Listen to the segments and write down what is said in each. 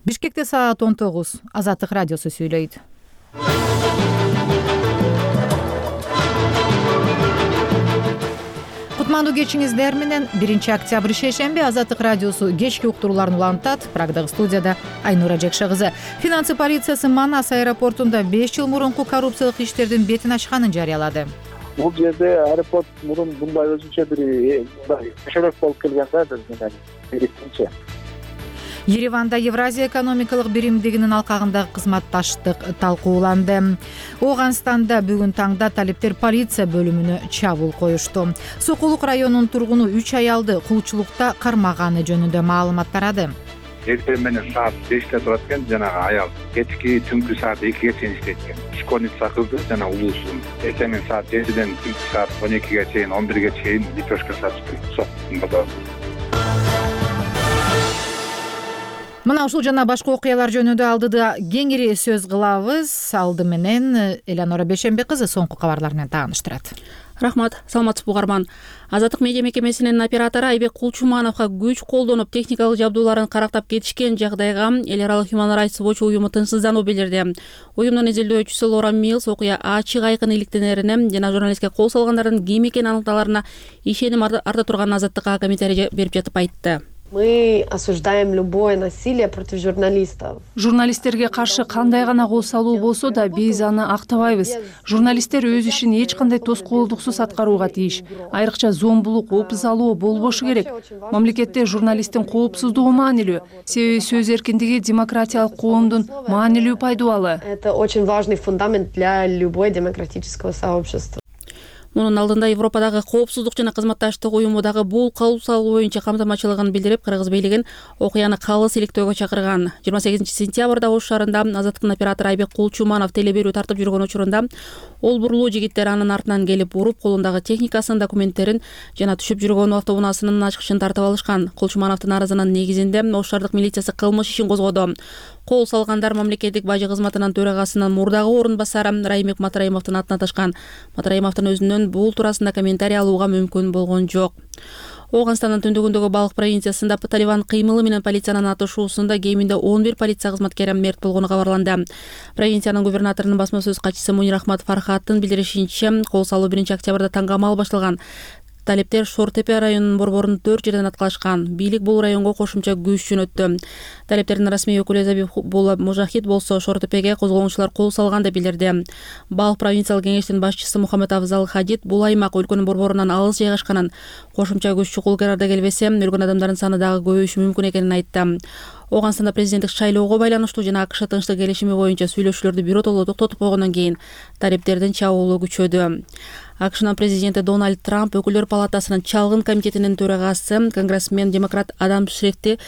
Бишкекте саат 19. Азаттык радиосу сүйлөйт. Кутмандуу кечиңиздер менен 1-октябрь шейшемби Азаттык радиосу кечки уктурууларын улантат. Прагдагы студияда Айнура Жекше кызы. Финансы полициясы Манас аэропортунда 5 жыл мурунку коррупциялык иштердин бетин ачканын жарыялады. Бул жерде аэропорт мурун мындай өзүнчө бир кошорок болуп келген да биринчи. Ереванда Евразия экономикалык биримдигинин алкагындагы кызматташтык талкууланды. Ооганстанда бүгүн таңда талептер полиция бөлүмүнө чабуул коюшту. Сокулук районунун тургуну 3 аялды кулчулукта кармаганы жөнүндө маалымат тарады. Эртең менен саат 5те турат экен, жанагы аял кечки түнкү саат 2ге чейин иштейт экен. Школьница кызды жана улуусун эртең менен саат 7ден түнкү саат 12ге чейин, 11ге чейин лепешка сатып сокту. Мына ушул жана башка окуялар жөнүндө алдыда кеңири сөз кылабыз. Алды менен Элеонора Бейшембек кызы соңку кабарлар менен тааныштырат. Рахмат, саламатсызбы угарман. Азаттык медиа мекемесинин оператору Айбек Кулчумановго күч колдонуп техникалык жабдууларын карактап кетишкен жагдайга эл аралык Human Rights Watch уюму тынчсыздануу билдирди. Уюмдун изилдөөчүсү Лора Милс окуя ачык айкын иликтенерине жана журналистке кол салгандардын ким экени аныкталарына ишеним арта турганын Азаттыкка комментарий берип жатып айтты. Мы осуждаем любое насилие против журналистов. Журналисттерге каршы кандай гана кол салуу болсо да биз аны актабайбыз. Журналисттер өз ишин эч кандай тоскоолдуксуз аткарууга тийиш. Айрыкча зомбулук, опузалоо болбошу керек. Мамлекетте журналисттин коопсуздугу маанилүү. Себеби сөз эркиндиги демократиялык коомдун маанилүү пайдубалы. Это очень важный фундамент для любой демократического сообщества. Мунун алдында Европадагы коопсуздук жана кызматташтык уюму дагы бул кол салуу боюнча камтамачылыгын билдирип, кыргыз бийлигин окуяны калыс иликтөөгө чакырган. 28-сентябрда Ош шаарында Азаттыктын оператору Айбек Кулчуманов телеберүү тартып жүргөн учурунда олбурлуу жигиттер анын артынан келип уруп, колундагы техникасын, документтерин жана түшүп жүргөн автобунасынын ачкычын тартып алышкан. Кулчумановдун арызынын негизинде Ош шаардык милициясы кылмыш ишин козгоду. Кол салгандар мамлекеттик бажы кызматынын төрагасынын мурдагы орун басары Раймек Матраимовдун атына ташкан. Матраимовдун өзүнөн бул туурасында комментарий алууга мүмкүн болгон жок. Ооганстандын түндүгүндөгү Балык провинциясында Талибан кыймылы менен полициянын атышуусунда кеминде 11 полиция кызматкери мерт болгону кабарланды. Провинциянын губернаторунун басма сөз катчысы Мунир Ахмад Фархаттын билдиришинче, кол салуу 1-октябрда таңгамал башталган. Талептер Шортепе районунун борборун 4 жерден аткалашкан. Бийлик бул районго кошумча күч жөнөттү. Талептердин расмий өкүлү Забихулла Мужахид болсо Шортепеге козголгончулар кол салган деп билдирди. Балык провинциялык кеңештин башчысы Мухаммед Афзал Хадид бул аймак өлкөнүн борборунан алыс жайгашканын, кошумча күч чукул карарда келбесе, өлгөн адамдардын саны дагы көбөйүшү мүмкүн экенин айтты. Ооганстанда президенттик шайлоого байланыштуу жана АКШ тынчтык келишими боюнча сүйлөшүүлөрдү биротоло токтотуп койгондон кийин талептердин чабуулу күчөдү. АКШнын президенти Дональд Трамп өкүлдөр палатасынын чалгын комитетинин төрагасы конгрессмен демократ Адам Шефти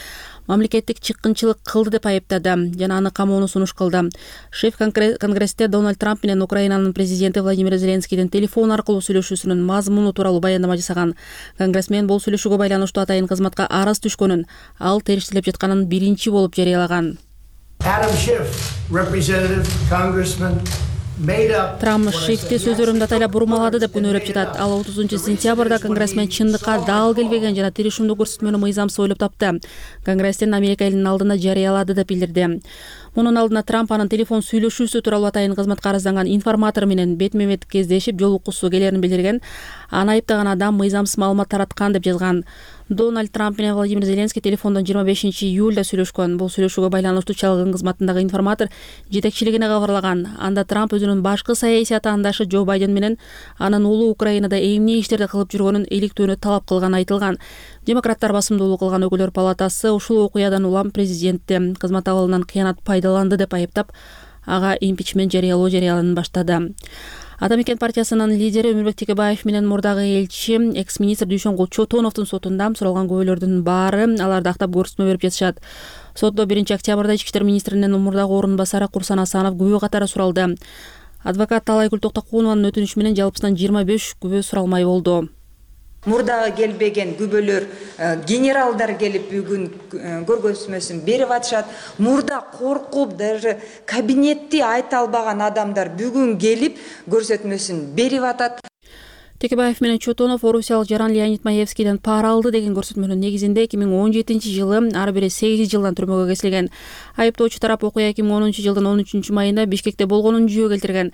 мамлекеттик чыккынчылык кылды деп айыптады жана аны камоону сунуш кылды. Шеф конгрессте Дональд Трамп менен Украинанын президенти Владимир Зеленскийдин телефон аркылуу сүйлөшүүсүнүн мазмуну тууралуу баяндама жасаган. Конгрессмен бул сүйлөшүүгө байланыштуу атайын кызматка арыз түшкөнүн, ал териштелип жатканын биринчи болуп жарыялаган. Adam Schiff, representative, congressman, Трамп Шифти сөздөрүмдү атайлап бурмалады деп күнөөлөп жатат. Ал 30-сентябрда конгрессмен чындыкка дал келбеген жана тирешимдүү көрсөтмөнү мыйзамсыз ойлоп тапты. Конгресстен Америка элинин алдына жарыялады деп билдирди. Мунун алдына Трамп анын телефон сүйлөшүүсү тууралуу атайын кызматка арызданган информатор менен бетме-бет кездешип жолуккусу келерин билдирген. Аны айыптаган адам мыйзамсыз маалымат тараткан деп жазган. Дональд Трамп менен Владимир Зеленский телефондон 25-июлда сүйлөшкөн. Бул сүйлөшүүгө байланыштуу чалгын кызматындагы информатор жетекчилигине кабарлаган. Анда Трамп өзүнүн башкы саясий атаандашы Джо Байден менен анын уулу Украинада эмне иштерди кылып жүргөнүн иликтөөнү талап кылганы айтылган. Демократтар басымдуулук кылган өкүлдөр палатасы ушул окуядан улам президентти кызмат абалынан кыянат пайдаланды деп айыптап, ага импичмент жарыяланып баштады. Атамекен партиясынын лидери Өмүрбек Текебаев менен мурдагы элчи экс-министр Дүйшөнгул Чотоновдун сотунда суралган күбөлөрдүн баары аларды актап көрсөтмө берип жатышат. Сотто 1-октябрда Ички иштер министринин мурдагы орун басары Курсан Асанов күбө катары суралды. Адвокат Талайгүл Токтокунованын өтүнүшү менен жалпысынан 25 күбө суралмай болду. Мурдага келбеген күбөлөр генералдар келип бүгүн көргөзмөсүн берип атышат. Мурда коркуп даже кабинетти айта албаган адамдар бүгүн келип көрсөтмөсүн берип атат. Текебаев менен Чотонов орусиялык жаран Леонид Маевскийден пара алды деген көрсөтмөнүн негизинде 2017-жылы ар бири 8 жылдан түрмөгө кесилген. Айыптоочу тарап окуя 2010-жылдын 13 майында Бишкекте болгонун жүйө келтирген.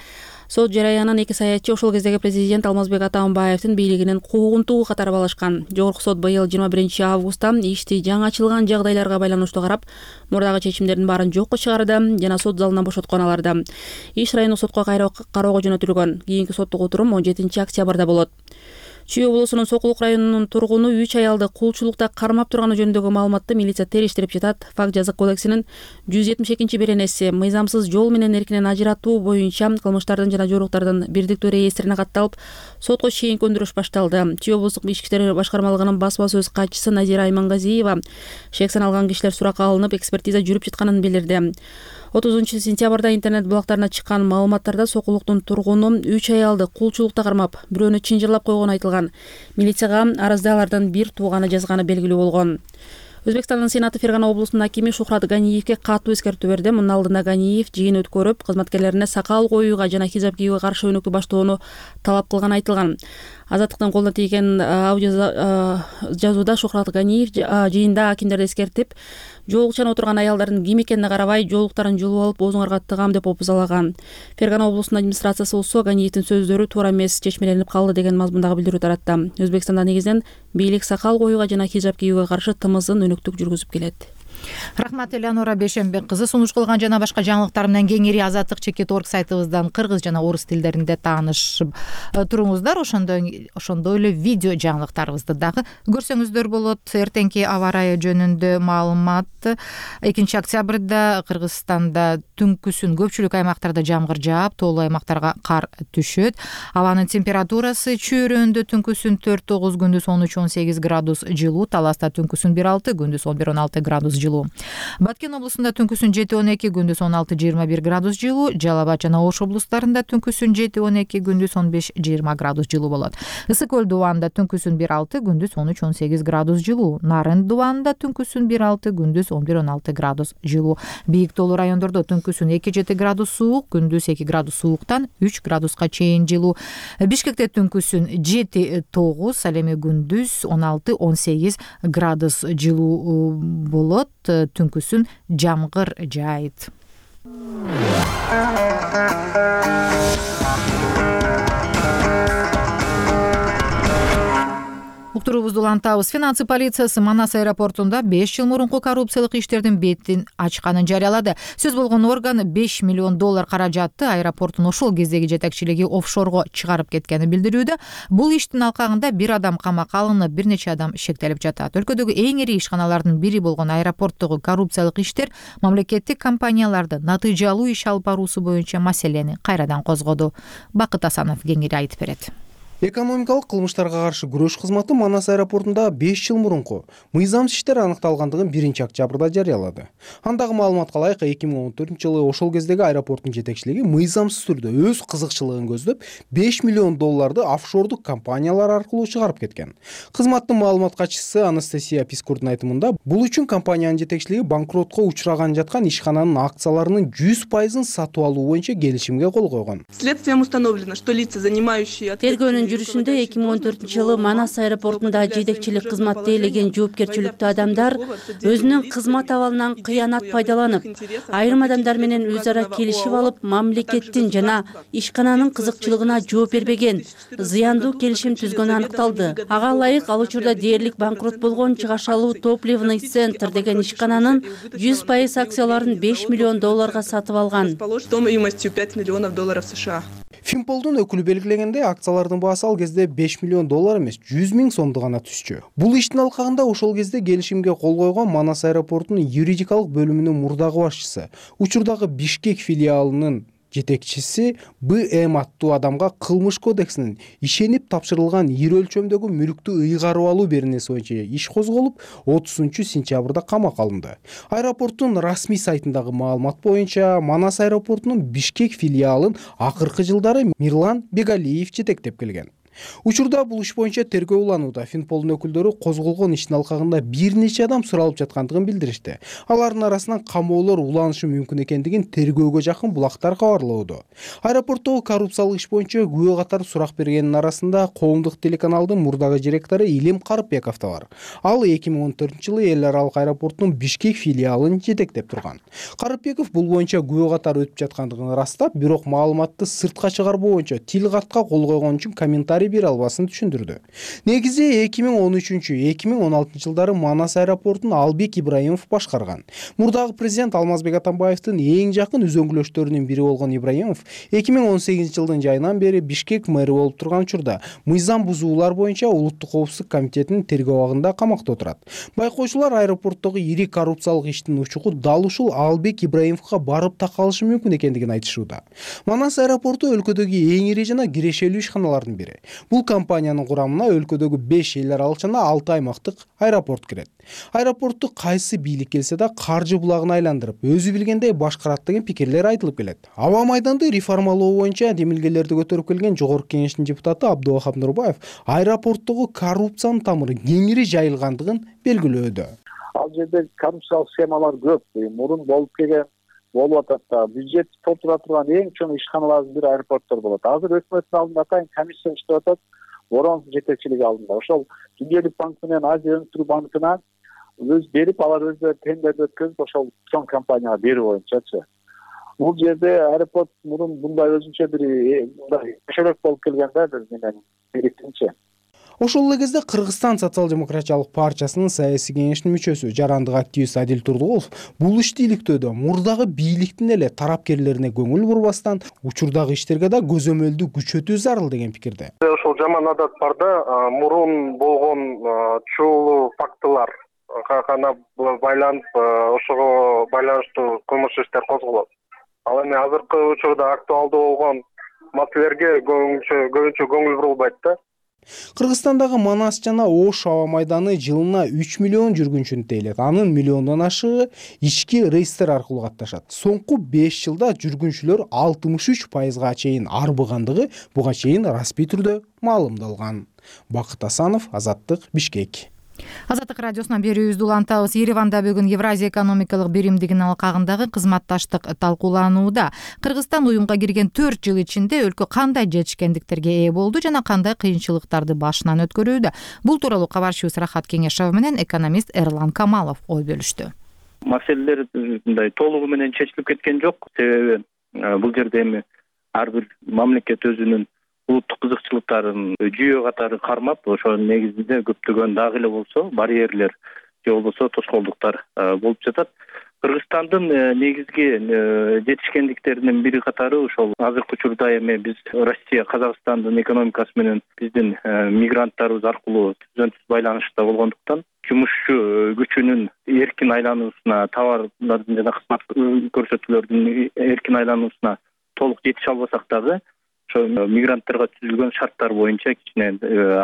Сот жараянын эки саятчы ошол кездеги президент Алмазбек Атамбаевдин бийлигинин куугунтугу катары балашкан. Жогорку сот быйыл 21-августта ишти жаңачылган жагдайларга байланыштуу карап, мурдагы чечимдердин баарын жокко чыгарды жана сот залынан бошоткон аларды. Иш райондук сотко кароого жөнөтүлгөн. Кийинки соттук отурум 17-октябрда болот. Чүй облусунун Сокулук районунун тургуну 3 аялды кулчулукта кармап турганы жөнүндөгү маалыматты милиция териштирип жатат. Факт жазык кодексинин 172-беренеси мыйзамсыз жол менен эркинен ажыратуу боюнча кылмыштардын жана жоруктардын бирдиктүү реестрине катталып, сотко чейинки өндүрүш башталды. Чүй облустук ички иштер башкармалыгынын басма сөз катчысы Назира Аймангазиева шек саналган кишилер суракка алынып, экспертиза жүрүп жатканын билдирди. 30-сентябрда интернет блогтарына чыккан маалыматтарда Сокулуктун тургуну 3 аялды кулчулукта кармап, бирөөнү чынжырлап койгону айтылган. Милицияга арызды алардын бир тууганы жазганы белгилүү болгон. Өзбекстандын Сенаты Фергана облусунун акими Шухрат Ганиевке катуу эскертүү берди. Мунун алдында Ганиев жыйын өткөрүп, кызматкерлерине сакал коюуга жана хижап кийүүгө каршы өнөктү баштоону талап кылганы айтылган. Азаттыктын колуна тийген аудио жазууда Шухрат Ганиев жыйында акимдерди эскертип, жоолукчан отурган аялдардын ким экенине карабай, жоолуктарын жулуп алып, оозуңарга тыгам деп опузалаган. Фергана облусунун администрациясы болсо Ганиевдин сөздөрү туура эмес, чечмеленип калды деген мазмундагы билдирүү таратты. Өзбекстанда негизинен бийлик сакал коюуга жана хижап кийүүгө каршы тымыздын өнөктүк жүргүзүп келет. Рахмат Элеонора Бешенбек кызы. Сунуш кылган жана башка жаңылыктар менен кеңири azatlyk.org сайтыбыздан кыргыз жана орус тилдеринде таанышып туруңуздар. Ошондой эле видео жаңылыктарыбызды дагы көрсөңүздөр болот. Эртеңки аба ырайы жөнүндө маалымат. 2-октябрда Кыргызстанда түнкүсүн көпчүлүк аймактарда жамгыр жаап, тоолуу аймактарга кар түшөт. Абанын температурасы чөйрөндө түнкүсүн 4-9, күндүз 13-18 градус жылуу, Таласта түнкүсүн 1-6, күндүз 11-16 градус жылуу. Баткен облусунда түнкүсүн 7-12, күндүз 16-21 градус жылуу, Жалал Абад жана Ош облустарында түнкүсүн 7-12, күндүз 15-20 градус жылуу болот. Ысык көл дубанында түнкүсүн 1-6, күндүз 13-18 градус жылуу. Нарын дубанында түнкүсүн 1-6, күндүз 11-16 градус жылуу. Бийик тоолуу райондордо түнкүсүн 2-7 градус суук, күндүз 2 градус сууктан 3 градуска чейин жылуу. Бишкекте түнкүсүн 7-9, ал эми күндүз 16-18 градус жылуу болот. Түнкүсүн жамгыр жаайт. Уктуруубузду улантабыз. Финансы полициясы Манас аэропортунда 5 жыл мурунку коррупциялык иштердин бетин ачканын жарыялады. Сөз болгон орган $5 миллион каражатты аэропорттун ошол кездеги жетекчилиги офшорго чыгарып кеткенин билдирүүдө. Бул иштин алкагында бир адам камакка алынып, бир нече адам шектелип жатат. Өлкөдөгү эң ири ишканалардын бири болгон аэропорттогу коррупциялык иштер мамлекеттик компанияларды натыйжалуу иш алып баруусу боюнча маселени кайрадан козгоду. Бакыт Асанов кеңири айтып берет. Экономикалык кылмыштарга каршы күрөш кызматы Манас аэропортунда 5 жыл мурунку мыйзамсыз иштер аныкталгандыгын 1-октябрда жарыялады. Андагы маалыматка ылайык 2014-жылы ошол кездеги аэропорттун жетекчилиги мыйзамсыз түрдө өз кызыкчылыгын көздөп $5 миллион офшордук компаниялар аркылуу чыгарып кеткен. Кызматтын маалымат катчысы Анастасия Пискурдун айтымында, бул үчүн компаниянын жетекчилиги банкротко учураган жаткан ишкананын акцияларынын 100% сатып алуу боюнча келишимге кол койгон. Следствием установлено, что лица, занимающие жүрүшүндө 2014-жылы Манас аэропортунда жетекчилик кызматты ээлеген жоопкерчиликтүү адамдар өзүнүн кызмат абалынан кыянат пайдаланып, айрым адамдар менен өз ара келишип алып, мамлекеттин жана ишкананын кызыкчылыгына жооп бербеген, зыяндуу келишим түзгөнү аныкталды. Ага ылайык ал учурда дээрлик банкрот болгон Чыгашалуу топливный центр деген ишкананын 100% акцияларын $5 миллион сатып алган. Стоимостью $5 миллионов США. Финполдун өкүлү белгилегенде, акциялардын баасы ал кезде $5 миллион эмес, 100 000 сомду гана түшчү. Бул иштин алкагында ошол кезде келишимге кол койгон Манас аэропортунун юридикалык бөлүмүнүн мурдагы башчысы, учурдагы Бишкек филиалынын жетекчиси Б.М. аттуу адамга кылмыш кодексинин ишенип тапшырылган ири өлчөмдөгү мүлктү ыйгарып алуу беренеси боюнча иш козголуп, 30-сентябрда камакка алынды. Аэропорттун расмий сайтындагы маалымат боюнча, Манас аэропортунун Бишкек филиалын акыркы жылдары Мирлан Бегалиев жетектеп келген. Учурда бул иш боюнча тергөө уланууда. Финполдун өкүлдөрү козголгон иштин алкагында бир нече адам суралып жаткандыгын билдиришти. Алардын арасынан камоолор уланышы мүмкүн экендигин тергөөгө жакын булактар кабарлоодо. Аэропорттогу коррупциялык иш боюнча күбө катары сурак бергендин арасында коомдук телеканалдын мурдагы директору Илим Карыпбеков да бар. Ал 2014-жылы эл аралык аэропорттун Бишкек филиалын жетектеп турган. Карыпбеков бул боюнча күбө катары өтүп жаткандыгын ырастап, бирок маалыматты сыртка чыгарбоо боюнча тил катка кол койгон үчүн комментарий бере албасын түшүндүрдү. Негизи 2013-2016 жылдары Манас аэропортун Албек Ибраимов башкарган. Мурдагы президент Алмазбек Атамбаевдин эң жакын үзөңгүлөштөрүнүн бири болгон Ибраимов 2018 жылдын жайынан бери Бишкек мэри болуп турган учурда мыйзам бузуулар боюнча улуттук коопсуздук комитетинин тергөө абагында камакта отурат. Байкоочулар аэропорттогу ири коррупциялык иштин учугу дал ушул Албек Ибраимовго барып такалышы мүмкүн экендигин айтышууда. Манас аэропорту өлкөдөгү эң ири жана кирешелүү ишканалардын бири. Бул компаниянын курамына өлкөдөгү 5 эл аралык жана 6 аймактык аэропорт кирет. Аэропортту кайсы бийлик келсе да каржы булагына айландырып, өзү билгендей башкарат деген пикирлер айтылып келет. Аба майданды реформалоо боюнча демилгелерди көтөрүп келген Жогорку Кеңештин депутаты Абдувахап Нурбаев аэропорттогу коррупциянын тамыры кеңири жайылгандыгын белгилөөдө. Ал жерде коррупциялык схемалар көп. Мурун болуп келген болуп атат да. Бюджет толтура турган эң чоң ишканалардын бири аэропорттор болот. Азыр өкмөттүн алдында атайын комиссия иштеп атат. Воронов жетекчилиги алдында. Ошол Дүниелик банк менен Азия өнүктүрүү банкына өз берип, алар өздөрү тендерди өткөзүп, ошол чоң компанияга берүү боюнчачы. Бул жерде аэропорт мурун мындай өзүнчө бир мындай көчөлөк болуп келген да менен бириктинчи. Ошол эле кезде Кыргызстан социал-демократиялык партиясынын саясий кеңешинин мүчөсү, жарандык активист Адил Турдугулов бул ишти иликтөөдө мурдагы бийликтин эле тарапкерлерине көңүл бурбастан, учурдагы иштерге да көзөмөлдү күчөтүү зарыл деген пикирде. Ошол жаман адат бар да, мурун болгон чоолуу фактылар гана байланып, ошого байланыштуу кылмыш иштер козголот. Ал эми азыркы учурда актуалдуу болгон маселелерге көбүнчө көңүл бурулбайт да. Кыргызстандагы Манас жана Ош аба майданы жылына 3 миллион жүргүнчүнү тейлет. Анын миллиондон ашыгы ички рейстер аркылуу катташат. Соңку 5 жылда жүргүнчүлөр 63%га чейин арбыгандыгы буга чейин расмий түрдө маалымдалган. Бакыт Асанов, Азаттык, Бишкек. Азаттык радиосунан берүүбүздү улантабыз. Ереванда бүгүн Евразия экономикалык биримдигинин алкагындагы кызматташтык талкууланууда. Кыргызстан уюмга кирген 4 жыл ичинде өлкө кандай жетишкендиктерге ээ болду жана кандай кыйынчылыктарды башынан өткөрүүдө? Бул тууралуу кабарчыбыз Рахат Кеңешова менен экономист Эрлан Камалов ой бөлүштү. Маселелер мындай толугу менен чечилип кеткен жок. Себеби бул жерде эми ар бир мамлекет өзүнүн улуттук кызыкчылыктарын жүйө катары кармап, ошонун негизинде көптөгөн дагы эле болсо барьерлер же болбосо тоскоолдуктар болуп жатат. Кыргызстандын негизги жетишкендиктеринин бири катары ошол азыркы учурда эми биз Россия, Казакстандын экономикасы менен биздин мигранттарыбыз аркылуу түзөнсүз байланышта болгондуктан жумушчу күчүнүн эркин айлануусуна, товарлардын жана кызмат көрсөтүүлөрдүн эркин айлануусуна толук жетише албасак дагы мигранттарга түзүлгөн шарттар боюнча кичине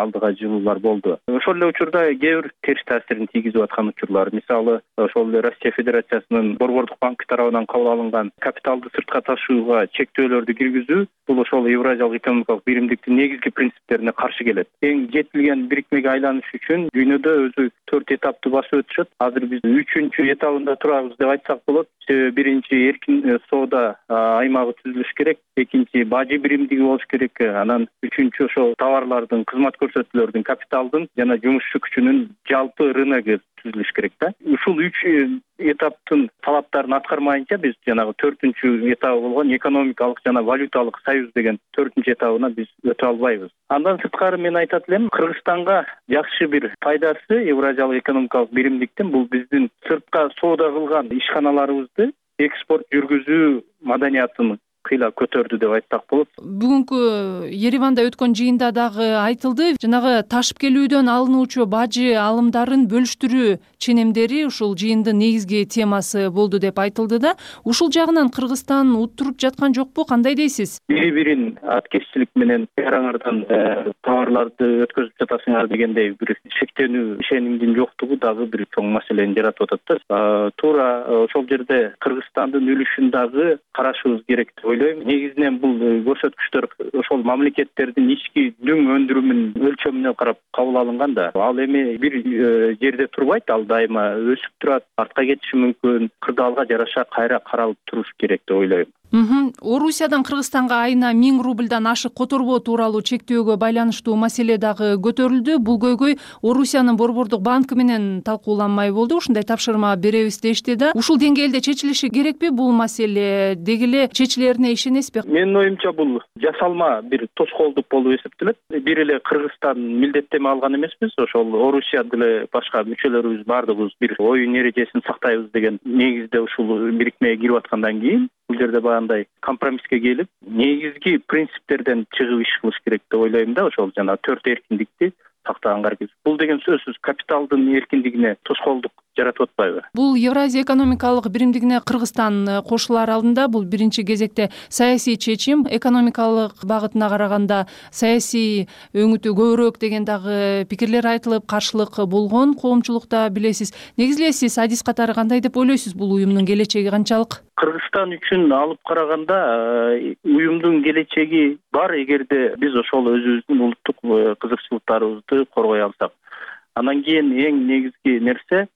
алдыга жылуулар болду. Ошол эле учурда кээ бир терс таасирин тийгизип аткан учурлар, мисалы ошол эле Россия Федерациясынын Борбордук банк тарабынан кабыл алынган капиталды сыртка ташууга чектөөлөрдү киргизүү, бул ошол Евразиялык экономикалык биримдиктин негизги принциптерине каршы келет. Эң жетилген бирикмеге айланыш үчүн дүйнөдө өзү 4 этапты басып өтүшөт. Азыр биз 3-чү этабында турабыз деп айтсак болот. Биринчи эркин соода аймагы түзүлүш керек, экинчи бажы биримдиги болуш керек, анан үчүнчү ошол товарлардын, кызмат көрсөтүүлөрдүн, капиталдын жана жумушчу күчүнүн жалпы рыногу түзүлүш керек да. Ушул 3 этаптын талаптарын аткармайынча биз жанагы 4-чү этабы болгон экономикалык жана валюталык союз деген 4-чү этабына биз өтө албайбыз. Андан сырткары мен айтат элем, Кыргызстанга жакшы бир пайдасы Евразиялык экономикалык биримдиктин бул биздин сыртка соода кылган ишканаларыбызды экспорт жүргүзүү маданиятын кыйла көтөрдү деп айтсак болот. Бүгүнкү Ереванда өткөн жыйында дагы айтылды, жанагы ташып келүүдөн алынуучу бажы алымдарын бөлүштүрүү ченемдери ушул жыйындын негизги темасы болду деп айтылды да. Ушул жагынан Кыргызстан уттуруп жаткан жокпу, кандай дейсиз? Бири-бирин аткезчилик менен аңардан товарларды өткөзүп жатасыңар дегендей бир шектенүү, ишенимдин жоктугу дагы бир чоң маселени жаратып атат да. Туура ошол жерде Кыргызстандын үлүшүн дагы карашыбыз керек деп ойлойм. Негизинен бул көрсөткүчтөр ошол мамлекеттердин ички дүң өндүрүмүнүн өлчөмүнө карап кабыл алынган да. Ал эми бир жерде турбайт, ал дайыма өсүп турат, артка кетиши мүмкүн. Кырдаалга жараша кайра каралып туруш керек деп ойлойм. Орусиядан Кыргызстанга айына 1000 рубльдан ашык которбоо тууралуу чектөөгө байланыштуу маселе дагы көтөрүлдү. Бул көйгөй Орусиянын Борбордук банкы менен талкууланмай болду. Ушундай тапшырма беребиз дешти да. Ушул деңгээлде чечилиши керекпи бул маселе? Деги эле чечилерине ишенесизби? Менин оюмча бул жасалма бир тоскоолдук болуп эсептелет. Бир эле Кыргызстан милдеттеме алган эмеспиз. Ошол Орусия деле башка мүчөлөрүбүз баардыгыбыз бир оюн эрежесин сактайбыз деген негизде ушул бирикмеге кирип аткандан кийин бул жерде баягындай компромисске келип, негизги принциптерден чыгып иш кылыш керек деп ойлойм да. Ошол жана 4 эркиндикти сактаганга аракет. Бул деген сөзсүз капиталдын эркиндигине тоскоолдук жаратып атпайбы? Бул Евразия экономикалык биримдигине Кыргызстан кошулар алдында бул биринчи кезекте саясий чечим, экономикалык багытына караганда саясий өңүтү көбүрөөк деген дагы пикирлер айтылып, каршылык болгон коомчулукта билесиз. Негизи эле сиз адис катары кандай деп ойлойсуз бул уюмдун келечеги канчалык? Кыргызстан үчүн алып караганда уюмдун келечеги бар, эгерде биз ошол өзүбүздүн улуттук кызыкчылыктарыбызды коргой алсак. Андан кийин эң негизги нерсе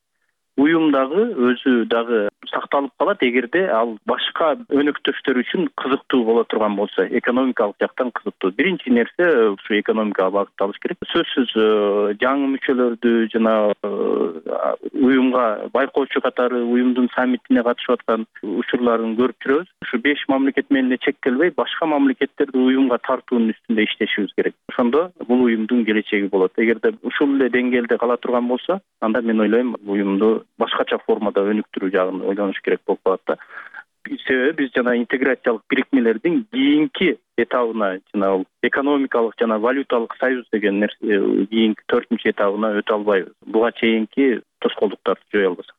уюм дагы өзү дагы сакталып калат, эгерде ал башка өнөктөштөр үчүн кызыктуу боло турган болсо, экономикалык жактан кызыктуу. Биринчи нерсе ушу экономикага багытталыш керек. Сөзсүз жаңы мүчөлөрдү жана уюмга байкоочу катары уюмдун саммитине катышып аткан учурларын көрүп жүрөбүз. Ушу 5 мамлекет менен чектелбей, башка мамлекеттерди уюмга тартуунун үстүндө иштешибиз керек. Ошондо бул уюмдун келечеги болот. Эгерде ушул эле деңгээлде кала турган болсо, анда мен ойлойм уюмду башкача формада өнүктүрүү жагын ойлонуш керек болуп калат да. Себеби биз жана интеграциялык бирикмелердин кийинки этабына, жана экономикалык жана валюталык союз деген нерсе кийинки 4-чү этабына өтө албайбыз. Буга чейинки тоскоолдуктарды жое албасак.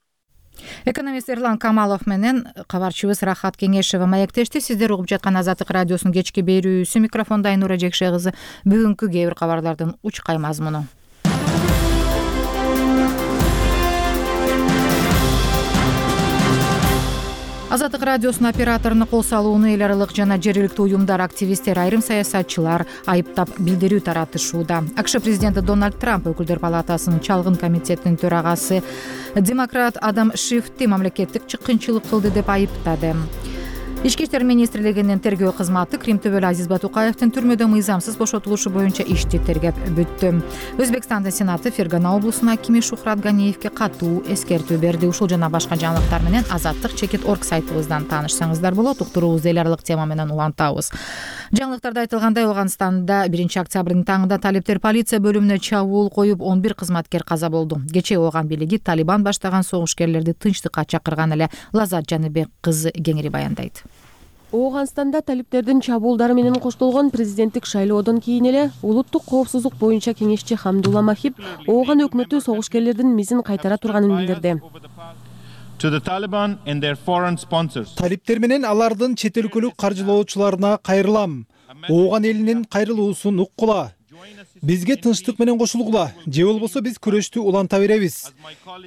Экономист Эрлан Камалов менен кабарчыбыз Рахат Кеңешева маектешти. Сиздер угуп жаткан Азаттык радиосунун кечки берүүсү. Микрофондо Айнура Жекше кызы. Бүгүнкү кээ бир кабарлардын учкай мазмуну. Азаттык радиосунун операторуна кол салууну эл аралык жана жергиликтүү уюмдар, активисттер, айрым саясатчылар айыптап билдирүү таратышууда. АКШ президенти Дональд Трамп өкүлдөр палатасынын чалгын комитетинин төрагасы демократ Адам Шифти мамлекеттик чыккынчылык кылды деп айыптады. Ички иштер министрлигинин тергөө кызматы Крим төбөлү Азиз Батукаевдин түрмөдө мыйзамсыз бошотулушу боюнча ишти тергеп бүттү. Өзбекстандын сенаты Фергана облусунун акими Шухрат Ганиевге катуу эскертүү берди. Ушул жана башка жаңылыктар менен Азаттык.org сайтыбыздан таанышсаңыздар болот. Уктуруубузду эл аралык тема менен улантабыз. Жаңылыктарда айтылгандай, Ооганстанда 1 октябрдын таңында талиптер полиция бөлүмүнө чабуул коюп 11 кызматкер каза болду. Кечээ Ооган бийлиги Талибан баштаган согушкерлерди тынчтыкка чакырган эле. Лазат Жаныбек кызы кеңири баяндайт. Ооганстанда талиптердин чабуулдары менен коштолгон президенттик шайлоодон кийин эле улуттук коопсуздук боюнча кеңешчи Хамдулла Махиб Ооган өкмөтү согушкерлердин мизин кайтара турганын билдирди. Талиптер менен алардын чет өлкөлүк каржылоочуларына кайрылам. Ооган элинин кайрылуусун уккула. Бизге тынчтык менен кошулгула, же болбосо биз күрөштү уланта беребиз.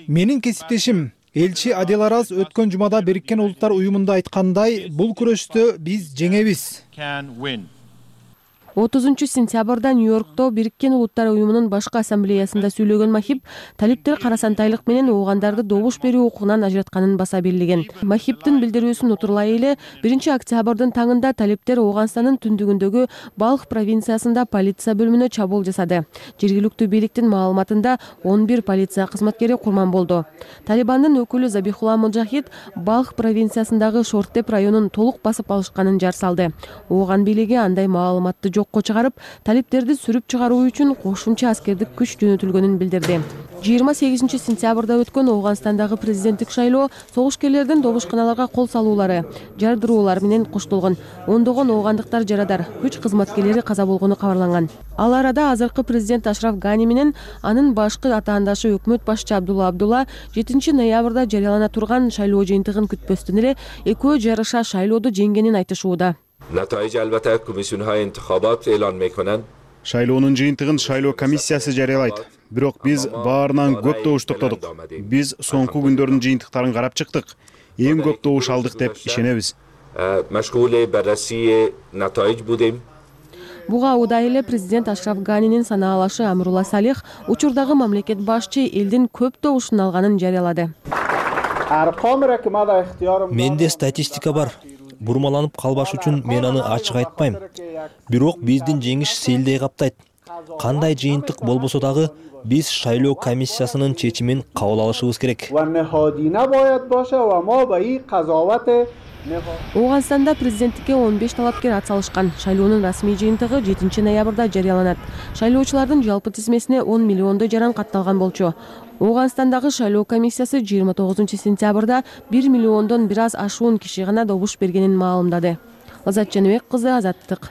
Менин кесиптешим элчи Адел Араз өткөн жумада Бириккен Улуттар уюмунда айткандай, бул күрөштө биз жеңебиз. 30-сентябрда Нью-Йоркто Бириккен Улуттар уюмунун башкы ассамблеясында сүйлөгөн Махиб талиптер карасантайлык менен оогандарды добуш берүү укугунан ажыратканын баса белгилеген. Махибдин билдирүүсүн утурлай эле 1 октябрдын таңында талиптер Ооганстандын түндүгүндөгү Балх провинциясында полиция бөлүмүнө чабуул жасады. Жергиликтүү бийликтин маалыматында 11 полиция кызматкери курман болду. Талибандын өкүлү Забихулла Муджахид Балх провинциясындагы Шорттеп районун толук басып алышканын жар салды. Ооган бийлиги андай маалыматты жокко чыгарып, талиптерди сүрүп чыгаруу үчүн кошумча аскердик күч жөнөтүлгөнүн билдирди. 28-сентябрда өткөн Ооганстандагы президенттик шайлоо согушкерлердин добушканаларга кол салуулары, жардыруулар менен коштолгон. Ондогон оогандыктар жарадар, күч кызматкерлери каза болгону кабарланган. Ал арада азыркы президент Ашраф Гани менен анын башкы атаандашы өкмөт башчы Абдулла 7 ноябрда жарыялана турган шайлоо жыйынтыгын күтпөстөн эле экөө жарыша шайлоодо жеңгенин айтышууда. Шайлоонун жыйынтыгын шайлоо комиссиясы жарыялайт. Бирок биз баарынан көп добуш топтодук. Биз соңку күндөрдүн жыйынтыктарын карап чыктык. Эң көп добуш алдык деп ишенебиз. مشغول بررسی نتایج بودیم. Буга удай эле президент Ашраф Ганинин санаалашы Амрула Салих учурдагы мамлекет башчы элдин көп добушун алганын жарыялады. Менде статистика бар. Бурмаланып калбаш үчүн мен аны ачык айтпайм. Бирок биздин жеңиш селдей каптайт. Кандай жыйынтык болбосо дагы биз шайлоо комиссиясынын чечимин кабыл алышыбыз керек. Ооганстанда президенттикке 15 талапкер атсалышкан. Шайлоонун расмий жыйынтыгы 7 ноябрда жарыяланат. Шайлоочулардын жалпы тизмесине 10 миллиондой жаран катталган болчу. Ооганстандагы шайлоо комиссиясы 29 сентябрда 1 миллиондон бир аз ашуун киши гана добуш бергенин маалымдады. Азат Жаныбек кызы, Азаттык.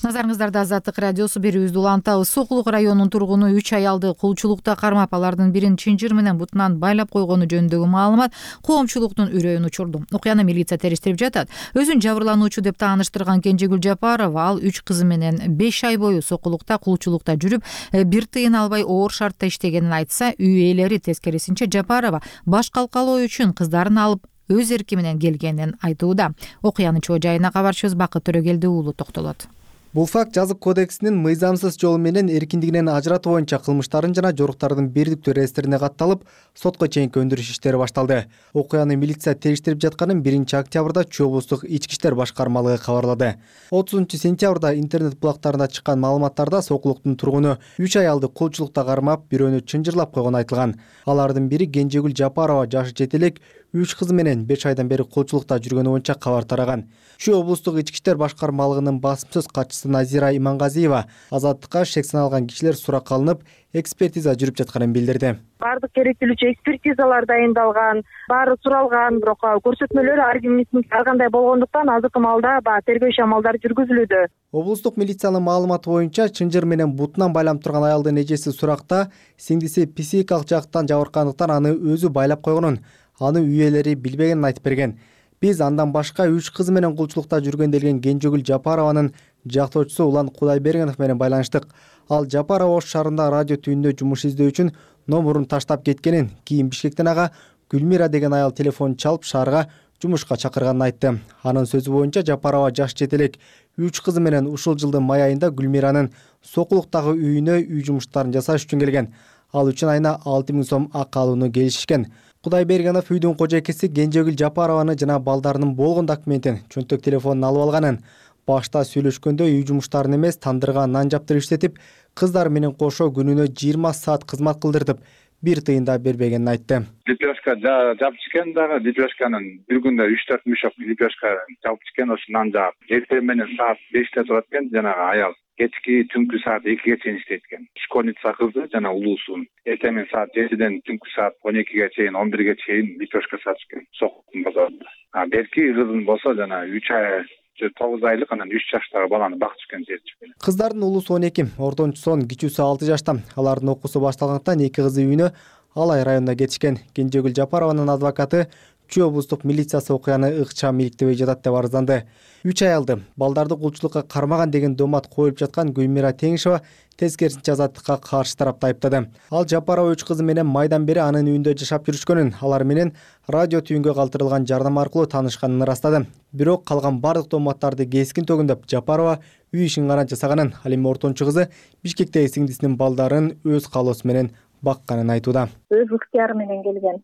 Назарыңыздарда Азаттык радиосу берүүбүздү улантабыз. Сокулук районунун тургуну 3 аялды кулчулукта кармап, алардын бирин чынжыр менен бутунан байлап койгону жөнүндөгү маалымат коомчулуктун үрөйүн учурду. Окуяны милиция териштирип жатат. Өзүн жабырлануучу деп тааныштырган Кенжегүл Жапарова ал 3 кызы менен 5 ай бою сокулукта, кулчулукта жүрүп, бир тыйын албай оор шартта иштегенин айтса, үй ээлери тескерисинче Жапарова баш калкалоо үчүн кыздарын алып өз эрки менен келгенин айтууда. Окуянын чоо жайына кабарчыбыз Бакыт Төрөгелди уулу токтолот. Бул факт жазык кодексинин мыйзамсыз жол менен эркиндигинен ажыратуу боюнча кылмыштарын жана жоруктардын бердиктүү реестрине катталып, сотко чейинки өндүрүш иштери башталды. Окуяны милиция териштирип жатканын 1 октябрда Чүй облустук ички иштер башкармалыгы кабарлады. 30 сентябрда интернет булактарында чыккан маалыматтарда сокулуктун тургуну 3 аялды кулчулукта кармап, бирөөнү чынжырлап койгону айтылган. Алардын бири Кенжегүл Жапарова, жашы жете элек, 3 кызы менен 5 айдан бери кулчулукта жүргөнү боюнча кабар тараган. Чүй облустук ички иштер башкармалыгынын басымсыз катчысы Назира Имангазиева Азаттыкка шек саналган кишилер суракка алынып, экспертиза жүрүп жатканын билдирди. Бардык керектүүлүүчү экспертизалар дайындалган, баары суралган, бирок көрсөтмөлөр ар кимдин ар кандай болгондуктан азыркы маалда тергөө иш амалдары жүргүзүлүүдө. Облустук милициянын маалыматы боюнча чынжыр менен бутунан байланып турган аялдын эжеси суракта сиңдиси психикалык жактан жабыркандыктан аны өзү байлап койгонун, аны үй ээлери билбегенин айтып берген. Биз андан башка 3 кызы менен кулчулукта жүргөн делген Кенжегүл Жапарованын жактоочусу Улан Кудайбергенов менен байланыштык. Ал Жапарова Ош шаарында радио түйүндө жумуш издөө үчүн номурун таштап кеткенин, кийин Бишкектен ага Гүлмира деген аял телефон чалып шаарга жумушка чакырганын айтты. Анын сөзү боюнча Жапарова жаш жетелек 3 кызы менен ушул жылдын май айында Гүлмиранын Сокулуктагы үйүнө үй жумуштарын жасаш үчүн келген. Ал үчүн айына 6000 сом акы алууну келишишкен. Кудайбергенов үйдүн кожойкеси Кенжегүл Жапарованы жана балдарынын болгон документин, чөнтөк телефонун алып алганын, башта сүйлөшкөндө үй жумуштарын эмес, тандырга нан жаптырып иштетип, кыздар менен кошо күнүнө 20 саат кызмат кылдыртып, бир тыйын да бербегенин айтты. Лепешка жапчыкен дагы, лепешканын бир күндө 3-4 мешок лепешка жапчыкен, ошо нан жаап. Эртең менен саат 5те турат экен, жанагы аял. Кечки түнкү саат 2ге чейин иштейт экен. Школьница кызы жана улуусун эртең менен саат 7ден түнкү саат 12ге чейин, 11ге чейин лепешка сатып экен Сокулуктун базарында. Берки кызын болсо жана 3 ай 9 айлык, анан 3 жаштагы баланы бактып жүргөн жерчи. Кыздардын улуусу 12, ортончусунун кичүүсү 6 жашта. Алардын окуусу башталгандыктан 2 кызы үйүнө Алай районуна кетишкен. Кенжегүл Жапарованын адвокаты Чүй облустук милициясы окуяны ыкчам иликтебей жатат деп арызданды. 3 аялды балдарды кулчулукка кармаган деген домат коюлуп жаткан Гүлмира Теңишева тескерисинче Азаттыкка каршы тарапты айыптады. Ал Жапарова 3 кызы менен майдан бери анын үйүндө жашап жүрүшкөнүн, алар менен радио түйүнгө калтырылган жардам аркылуу таанышканын ырастады. Бирок калган бардык доматтарды кескин төгүндөп Жапарова үй ишин гана жасаганын, ал эми ортончу кызы Бишкектеги сиңдисинин балдарын өз каалоосу менен бакканын айтууда. Өз ыктыяры менен келген.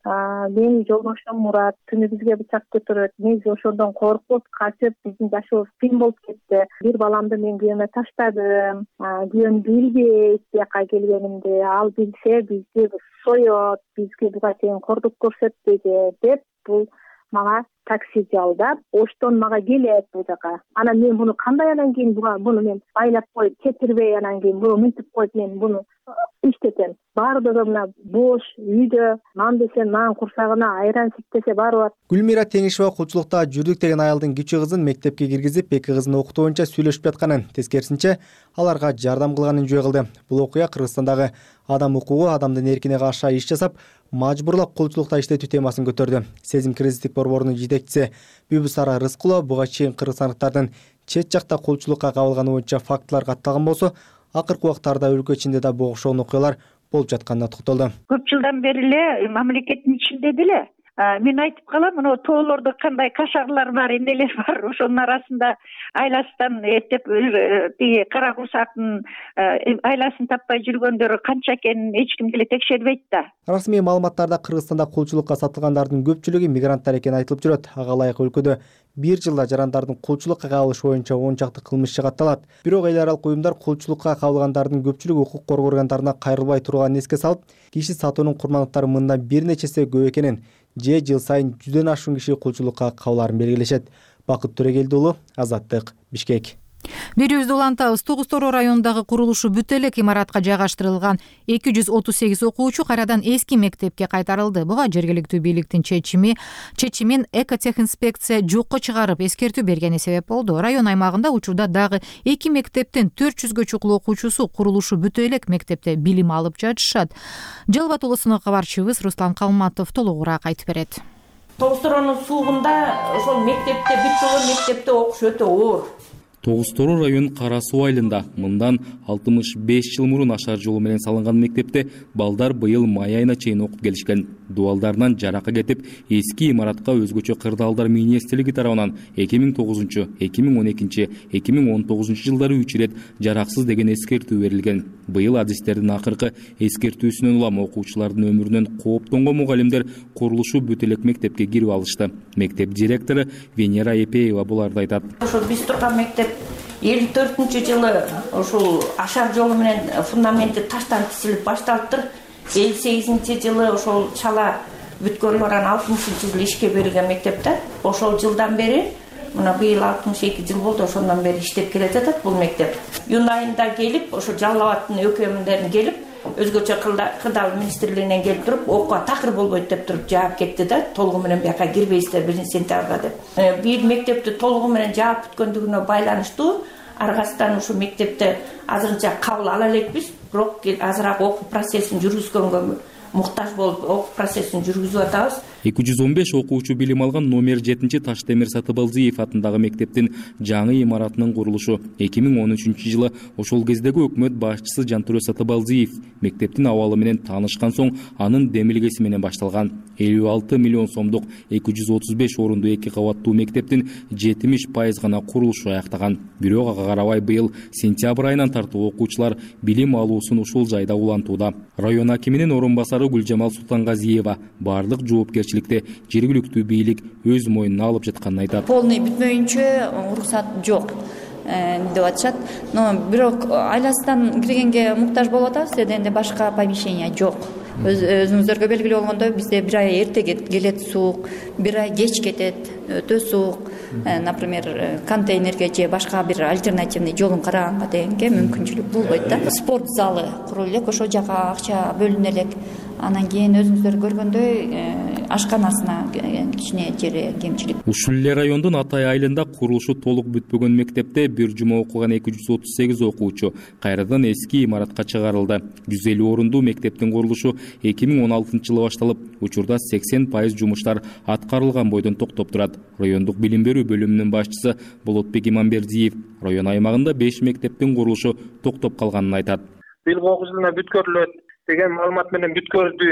Менин жолдошум Мурат түнү бизге бычак көтөрөт. Мен ошондон коркуп, качып, биздин жашообуз кыйын болуп кетти. Бир баламды мен күйөөмө таштадым. Күйөөм билбейт бияка келгенимди. Ал билсе бизди соёт, бизге буга чейин кордук көрсөтпөйт деп бул мага такси жалдап, Оштон мага келет бул жака. Анан мен муну кандай анан кийин буну мен байлап коюп кетирбей, анан кийин буну мынтип коюп мен буну иштетем. Баардыгы мына бош үйдө нан десе нан, курсагына айран сиптесе баары бар. Гүлмира Теңишева кулчулукта жүрдүк деген аялдын кичүү кызын мектепке киргизип, 2 кызын окутуу боюнча сүйлөшүп жатканын, тескерисинче аларга жардам кылганын жөө кылды. Бул окуя Кыргызстандагы адам укугу, адамдын эркине каршы иш жасап, мажбурлап кулчулукта иштетүү темасын көтөрдү. Сезим кризистик борборунун жетекчиси Бүбүсара Рыскулова буга чейин кыргызстандыктардын чет жакта кулчулукка кабылганы боюнча фактылар катталган болсо, акыркы убактарда өлкө ичинде да бул окшогон окуялар болуп жатканына токтолду. Көп жылдан бери эле мамлекеттин ичинде деле Мен айтып калам, мына тоолордо кандай кашарлар бар, эмнелер бар, ошонун арасында айласынан эптеп тиги кара курсактын айласын таппай жүргөндөр канча экенин эч ким деле текшербейт да. Расмий маалыматтарда Кыргызстанда кулчулукка сатылгандардын көпчүлүгү мигранттар экени айтылып жүрөт. Ага ылайык өлкөдө бир жылда жарандардын кулчулукка кабылышы боюнча 10 чакты кылмыш жагатталат. Бирок эл аралык уюмдар кулчулукка кабылгандардын көпчүлүгү укук коргоо органдарына кайрылбай турганын эске салып, киши сатуунун курмандыктары мындан бир нечесе көп экенин же жыл сайын 100дөн ашуун киши кулчулукка кабылаарын белгилешет. Бакыт Төрөгелди уулу, Азаттык, Бишкек. Берүүбүздү улантабыз. Тоғыз Тороо районундагы курулушу бүт элек имаратка жайгаштырылган 238 окуучу кайрадан эски мектепке кайтарылды. Буга жергиликтүү бийликтин чечимин экотехинспекция жокко чыгарып эскертүү бергени себеп болду. Район аймагында учурда дагы 2 мектептин 400гө чукул окуучусу курулушу бүт элек мектепте билим алып жатышат. Жалбат уулусунун кабарчыбыз Руслан Калматов толугураак айтып берет. Тогуз Тороонун суугунда ошол мектепте бүт жылы мектепте окуш өтө оор. Тогуз Тороо районунун Кара Суу айылында мындан 65 жыл мурун ашар жолу менен салынган мектепте балдар быйыл май айына чейин окуп келишкен. Дубалдарынан жаракка кетип, эски имаратка өзгөчө кырдаалдар министрлиги тарабынан 2009, 2012, 2019 жылдары 3 ирет жараксыз деген эскертүү берилген. Быйыл адистердин акыркы эскертүүсүнөн улам окуучулардын өмүрүнөн кооптонгон мугалимдер курулушу бүт элек мектепке кирип алышты. Мектеп директору Венера Эпеева буларды айтат. Ошол биз турган мектеп 54-жылы ошол ашар жолу менен фундаменти таштан тизилип башталыптыр. 58-жылы ошол чала бүткөрүлүп анан 60-жылы ишке берилген мектепте. Ошол жылдан бери мына быйыл 62 жыл болду, ошондон бери иштеп келе жатат бул мектеп. Июнь айында келип, ошо Жалал Абадтын өкмөндөрүн келип, өзгөчө кырдаал министрлигинен келип туруп, окууга такыр болбойт деп туруп жаап кетти да, толугу менен бияка кирбейсиздер 1-сентябрга деп. Бир мектепти толугу менен жаап бүткөндүгүнө байланыштуу аргасынан ушу мектепте азырынча кабыл ала элекпиз, бирок азыраак окуу процессин жүргүзгөнгө муктаж болуп, окуу процессин жүргүзүп атабыз. 215 окуучу билим алган номер 7 Таштемир Сатыбалдиев атындагы мектептин жаңы имаратынын курулушу 2013 жылы ошол кездеги өкмөт башчысы Жантүрө Сатыбалдиев мектептин абалы менен таанышкан соң анын демилгеси менен башталган. 56 миллион сомдук 235 орунду 2 кабаттуу мектептин 70% гана курулушу аяктаган. Бирок ага карабай быйыл сентябрь айынан тартып окуучулар билим алуусун ушул жайда улантууда. Район акиминин орун басары Гүлжамал Султангазиева бардык жоопкерчиликти жергиликтүү бийлик өз мойнуна алып жатканын айтат. Полный бүтмөйүнчө уруксат жок деп атышат. Но бирок айласынан киргенге муктаж болуп атабыз, эденде башка помещение жок. Өзүңүздөргө белгилүү болгондой, бизде бир ай эрте келет суук, бир ай кеч кетет, өтө суук. Например, контейнерге же башка бир альтернативный жолун караганга дегенге мүмкүнчүлүк болбойт да. Спорт залы курулуп элек, ошол жака акча бөлүнө элек. Анан кийин өзүңүздөр көргөндөй ашканасына кичине жери кемчилик. Ушул эле райондун Атай айылында курулушу толук бүтпөгөн мектепте бир жума окуган 238 окуучу кайрадан эски имаратка чыгарылды. 150 орундуу мектептин курулушу 2016 жылы башталып, учурда 80% жумуштар аткарылган бойдон токтоп турат. Райондук билим берүү бөлүмүнүн башчысы Болотбек Иманбердиев район аймагында 5 мектептин курулушу токтоп калганын айтат. Быйылкы окуу жылына бүткөрүлөт деген маалымат менен бүткөрдү.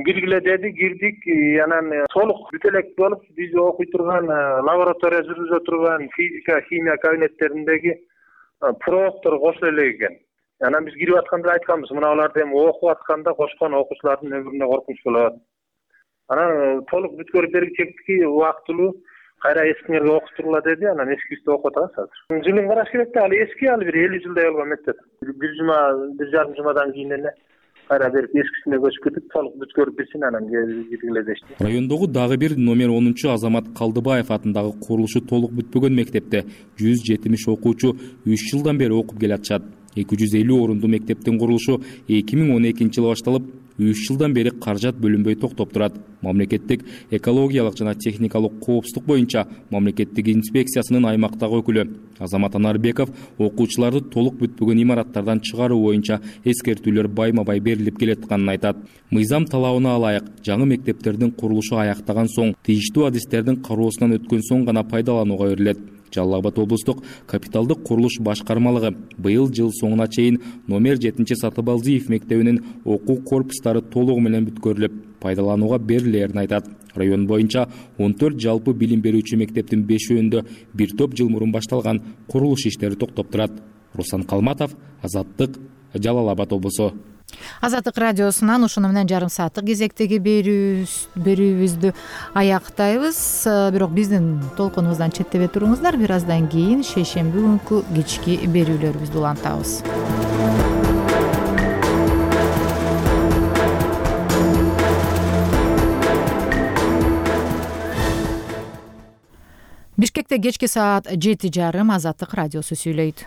Киргиле деди, кирдик. Анан толук бүт элек болуп, биз окуй турган, лаборатория жүргүзө турган физика, химия кабинеттериндеги профтор кошуло элек экен. Анан биз кирип атканда айтканбыз, мына аларды эми окуп атканда кошкон окуучулардын өмүрүнө коркунуч болот. Анан толук бүткөрүп бергичекти убактылуу кайра эскилерге окуттургула деди. Анан эскибизди окуп атабыз азыр. Жылын караш керек да, али эски, али бир 50 жылдай болгон мектеп. Бир жума, бир жарым жумадан кийин эле кайра берип эскисине көчүп кетип, толук бүткөрүп берсин, анан киргиле дешти. Райондогу дагы бир номер 10 Азамат Калдыбаев атындагы курулушу толук бүтпөгөн мектепте 170 окуучу 3 жылдан бери окуп келатышат. 250 орунду мектептин курулушу 2012 жылы башталып, 3 жылдан бери каражат бөлүнбөй токтоп турат. Мамлекеттик экологиялык жана техникалык коопсуздук боюнча мамлекеттик инспекциясынын аймактагы өкүлү Азамат Анарбеков окуучуларды толук бүтпөгөн имараттардан чыгаруу боюнча эскертүүлөр байма-бай берилип келатканын айтат. Мыйзам талабына ылайык жаңы мектептердин курулушу аяктаган соң, тийиштүү адистердин кароосунан өткөн соң гана пайдаланууга берилет. Жалал Абад облустук капиталдык курулуш башкармалыгы быйыл жыл соңуна чейин номер 7-Сатыбалдиев мектебинин окуу корпустары толугу менен бүткөрүлүп, пайдаланууга берилерин айтат. Район боюнча 14 жалпы билим берүүчү мектептин 5-өндө бир топ жыл мурун башталган курулуш иштери токтоп турат. Руслан Калматов, Азаттык, Жалал Абад облусу. Азаттык радиосунан ушуну менен жарым сааттык кезектеги берүүбүздү аяктайбыз. Бирок биздин толкунубуздан четтебей туруңуздар. Бир аздан кийин шейшемби күнкү кечки берүүлөрүбүздү улантабыз. Бишкекте кечки саат 7:30 Азаттык радиосу сүйлөйт.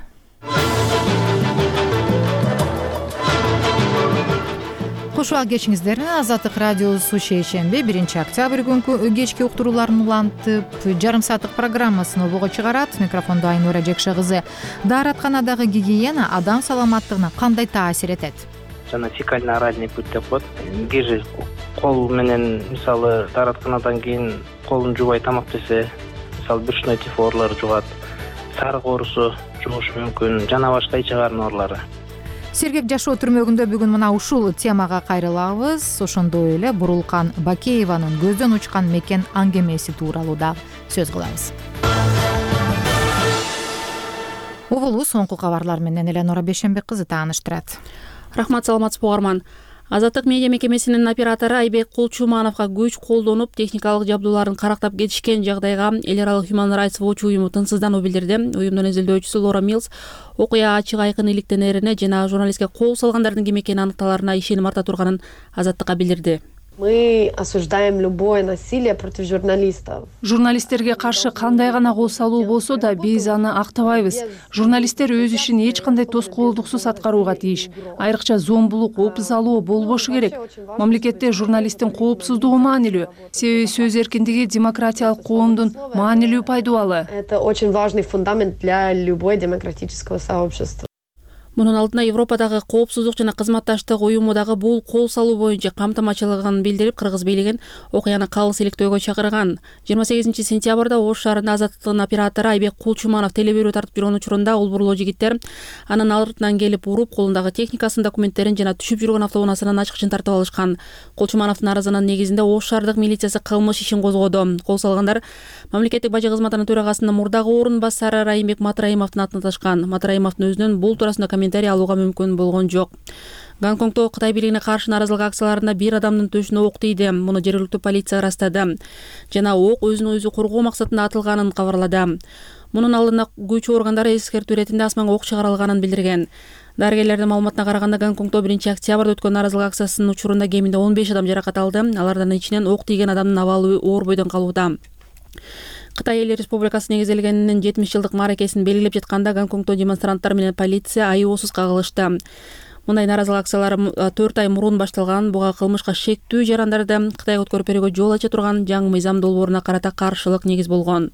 Куш убак кечиңиздер. Азаттык радиосу шейшемби 1-октябрь күнкү кечки уктурууларын улантып, жарым сааттык программасын обого чыгарат. Микрофондо Айнура Жекше кызы. Дааратканадагы гигиена адам саламаттыгына кандай таасир этет? Жана фекально-оральный путь деп коет. Киши кол менен мисалы дааратканадан кийин колун жуубай тамак жесе, мисалы брюшной тиф оорулары жугат, сарык оорусу жугушу мүмкүн, жана башка ич карын оорулары. Сергек жашоо түрмөгүндө бүгүн мына ушул темага кайрылабыз. Ошондой эле Бурулкан Бакееванын көздөн учкан мекен аңгемеси тууралуу да сөз кылабыз. Обулу соңку кабарлар менен Эленора Бешенбек кызы тааныштырат. Рахмат, саламатсызбы угарман. Азаттык медиа мекемесинин оператору Айбек Кулчумановго күч колдонуп, техникалык жабдууларын карактап кетишкен жагдайга эл аралык Human Rights Watch уюму тынчсыздануу билдирди. Уюмдун изилдөөчүсү Лора Милс окуя ачык айкын иликтенерине жана журналистке кол салгандардын ким экени аныкталарына ишеним арта турганын Азаттыкка билдирди. Мы осуждаем любое насилие против журналистов. Журналисттерге каршы кандай гана кол салуу болсо да биз аны актабайбыз. Журналисттер өз ишин эч кандай тоскоолдуксуз аткарууга тийиш. Айрыкча зомбулук, опуз алуу болбошу керек. Мамлекетте журналисттин коопсуздугу маанилүү. Себеби сөз эркиндиги демократиялык коомдун маанилүү пайдубалы. Это очень важный фундамент для любой демократического сообщества. Мунун алдында Европадагы коопсуздук жана кызматташтык уюмудагы бул кол салуу боюнча камтамачылыгын билдирип, кыргыз бийлигин окуяны калыс иликтөөгө чакырган. 28 сентябрда Ош шаарында Азаттыктын оператору Айбек Кулчуманов телеберүү тартып жүргөн учурунда улбурлуу жигиттер анын артынан келип уруп, колундагы техникасын, документтерин жана түшүп жүргөн автоунаасынан ачкычын тартып алышкан. Кулчумановдун арызынын негизинде Ош шаардык милициясы кылмыш ишин козгоду. Кол салгандар мамлекеттик бажы кызматынын төрагасынын мурдагы орун басары Райымбек Матраимовдун атын аташкан. Матраимовдун өзүнүн бул туурасында комментарий алууга мүмкүн болгон жок. Гонконгдо Кытай бийлигине каршы нааразылык акцияларында бир адамдын төшүнө ок тийди. Муну жергиликтүү полиция ырастады. Жана ок өзүн өзү коргоо максатында атылганын кабарлады. Мунун алдында күч органдары эскертүү иретинде асманга ок чыгарылганын билдирген. Дарыгерлердин маалыматына караганда Гонконгдо 1-октябрда өткөн нааразылык акциясынын учурунда кеминде 15 адам жаракат алды. Алардын ичинен ок тийген адамдын абалы оор бойдон калууда. Кытай Эл Республикасы негизделгенинин 70 жылдык мааракесин белгилеп жатканда Гонконгдо демонстранттар менен полиция айоосуз кагылышты. Мындай нааразылык акциялар 4 ай мурун башталган. Буга кылмышка шектүү жарандарды Кытайга өткөрүп берүүгө жол ача турган жаңы мыйзам долбооруна карата каршылык негиз болгон.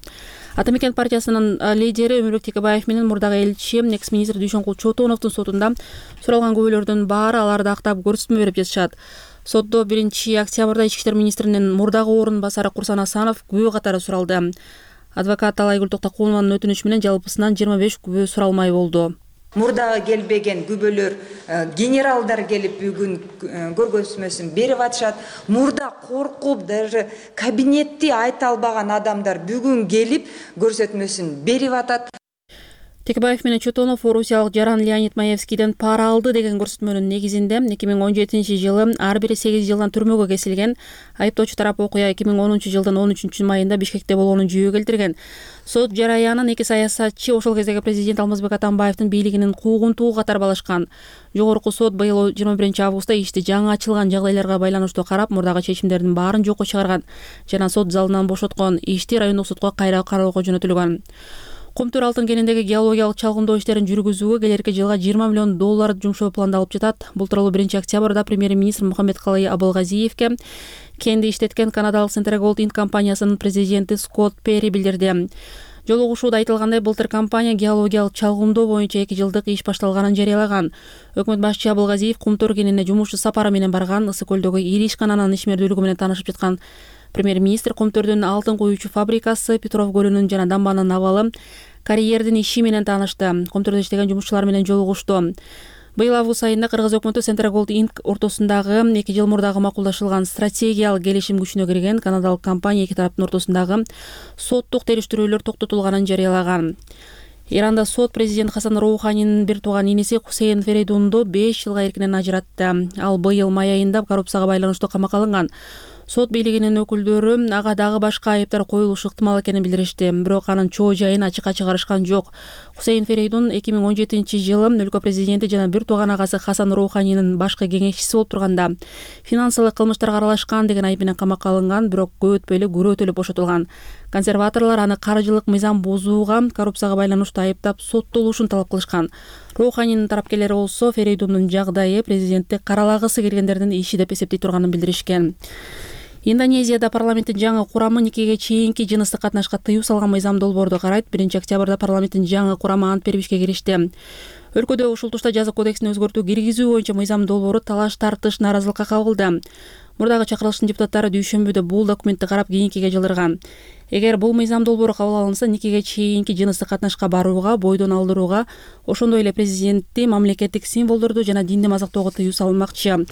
Ата мекен партиясынын лидери Өмүрбек Текебаев менен мурдагы элчи, экс-министр Дүйшөнкул Чотоновдун сотунда суралган күбөлөрдүн баары аларды актап көрсөтмө берип жатышат. Сотто 1-октябрда Ички иштер министринин мурдагы орун басары Курсан Асанов күбө катары суралды. Адвокат Талайгүл Токтокулованын өтүнүчү менен жалпысынан 25 күбө суралмай болду. Мурдага келбеген күбөлөр генералдар келип бүгүн көргөзмөсүн берип атышат. Мурда коркуп даже кабинетти айта албаган адамдар бүгүн келип көрсөтмөсүн берип атат. Текебаев менен Чотонов орусиялык Жаран Леонид Маевскийден пара алды деген көрсөтмөнүн негизинде 2017 жылы ар бири 8 жылдан түрмөгө кесилген. Айыптоочу тарап окуя 2010 жылдын 13 майында Бишкекте болгонун жүйө келтирген. Сот жараянын эки саясатчы ошол кездеги президент Алмазбек Атамбаевдин бийлигинин куугунтугу катары балашкан. Жогорку сот быйыл 21 августта ишти жаңы ачылган жагдайларга байланыштуу карап, мурдагы чечимдердин баарын жокко чыгарган жана сот залынан бошоткон. Ишти райондук сотко кайра кароого жөнөтүлгөн. Кумтөр алтын кенендеги геологиялык чалгындоо иштерин жүргүзүүгө келерки жылга $20 миллион жумшоо пландалып жатат. Бул тууралуу 1-октябрда премьер-министр Мухаммедкалый Абылгазиевке кенди иштеткен канадалык Central Gold Inc. компаниясынын президенти Скотт Перри билдирди. Жолугушууда айтылгандай, былтыр компания геологиялык чалгындоо боюнча 2 жылдык иш башталганын жарыялаган. Өкмөт башчы Абылгазиев Кумтөр кенине жумуш сапары менен барган. Ысык көлдөгү ири ишкананын ишмердүүлүгү менен таанышып жаткан премьер-министр Кумтөрдүн алтын куюучу фабрикасы, Петров көлүнүн жана дамбанын абалы, карьердин иши менен таанышты. Контордо иштеген жумушчулар менен жолугушту. Быйыл август айында Кыргыз өкмөтү Central Gold Inc. ортосундагы 2 жыл мурдагы макулдашылган стратегиялык келишим күчүнө кирген. Канадалык компания эки тараптын ортосундагы соттук териштирүүлөр токтотулганын жарыялаган. Иранда сот президент Хасан Роуханинин бир тууган иниси Хусейн Ферейдунду 5 жылга эркинен ажыратты. Ал быйыл май айында коррупцияга байланыштуу камакка алынган. Сот бийлигинин өкүлдөрү ага дагы башка айыптар коюлушу ыктымал экенин билдиришти. Бирок анын чоо жайын ачыкка чыгарышкан жок. Хусейн Ферейдун 2017-жылы өлкө президенти жана бир тууган агасы Хасан Роуханинин башкы кеңешчиси болуп турганда финансылык кылмыштарга аралашкан деген айып менен камакка алынган, бирок көп өтпөй эле күрөтүлүп бошотулган. Консерваторлор аны каржылык мыйзам бузууга, коррупцияга байланыштуу айыптап соттолушун талап кылышкан. Роуханинин тарапкерлери болсо Ферейдундун жагдайы президентти каралагысы келгендердин иши деп эсептей турганын билдиришкен. Индонезияда парламенттин жаңы курамы никеге чейинки жыныстык катнашка тыюу салган мыйзам долбоорду карайт. 1-октябрда парламенттин жаңы курамы ант берип ишке киришти. Өлкөдө ушул тушта жаза кодексине өзгөртүү киргизүү боюнча мыйзам долбоору талаш тартыш наразылыкка кабылды. Мурдагы чакырылыштын депутаттары дүйшөмбүдө бул документти карап кийинкиге жылдырган. Эгер бул мыйзам долбоору кабыл алынса, никеге чейинки жыныстык катнашка барууга, бойдон алдырууга, ошондой эле президентти, мамлекеттик символдорду жана динди мазактоого тыюу салынмакчы.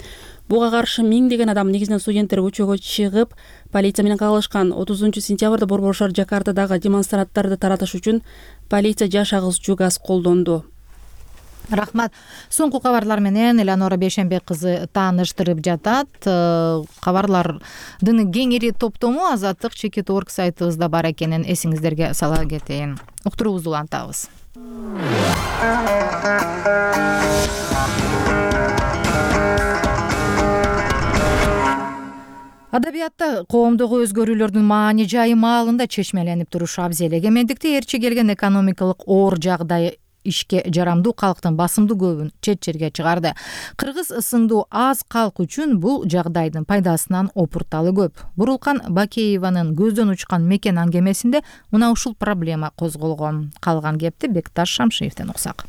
Буга каршы миңдеген адам, негизинен студенттер, көчөгө чыгып, полиция менен кагылышкан. 30-сентябрда Борбор шаар Жакартадагы демонстранттарды таратыш үчүн полиция жаш агызчу газ колдонду. Рахмат. Соңку кабарлар менен Элеонора Бейшенбек кызы тааныштырып жатат. Кабарлардын кеңири топтому Азаттык Чекит.org сайтыбызда бар экенин эсиңиздерге сала кетейин. Уктуруубузду улантабыз. Адабиятта коомдогу өзгөрүүлөрдүн маани жайы маалында чечмеленип турушу абзел. Эгемендикти ээрчи келген экономикалык оор жагдай ишке жарамдуу калктын басымдуу көбүн чет жерге чыгарды. Кыргыз сыңдуу аз калк үчүн бул жагдайдын пайдасынан опурталы көп. Бурулкан Бакееванын көздөн учкан мекен аңгемесинде мына ушул проблема козголгон. Калган кепти Бекташ Шамшиевден уксак.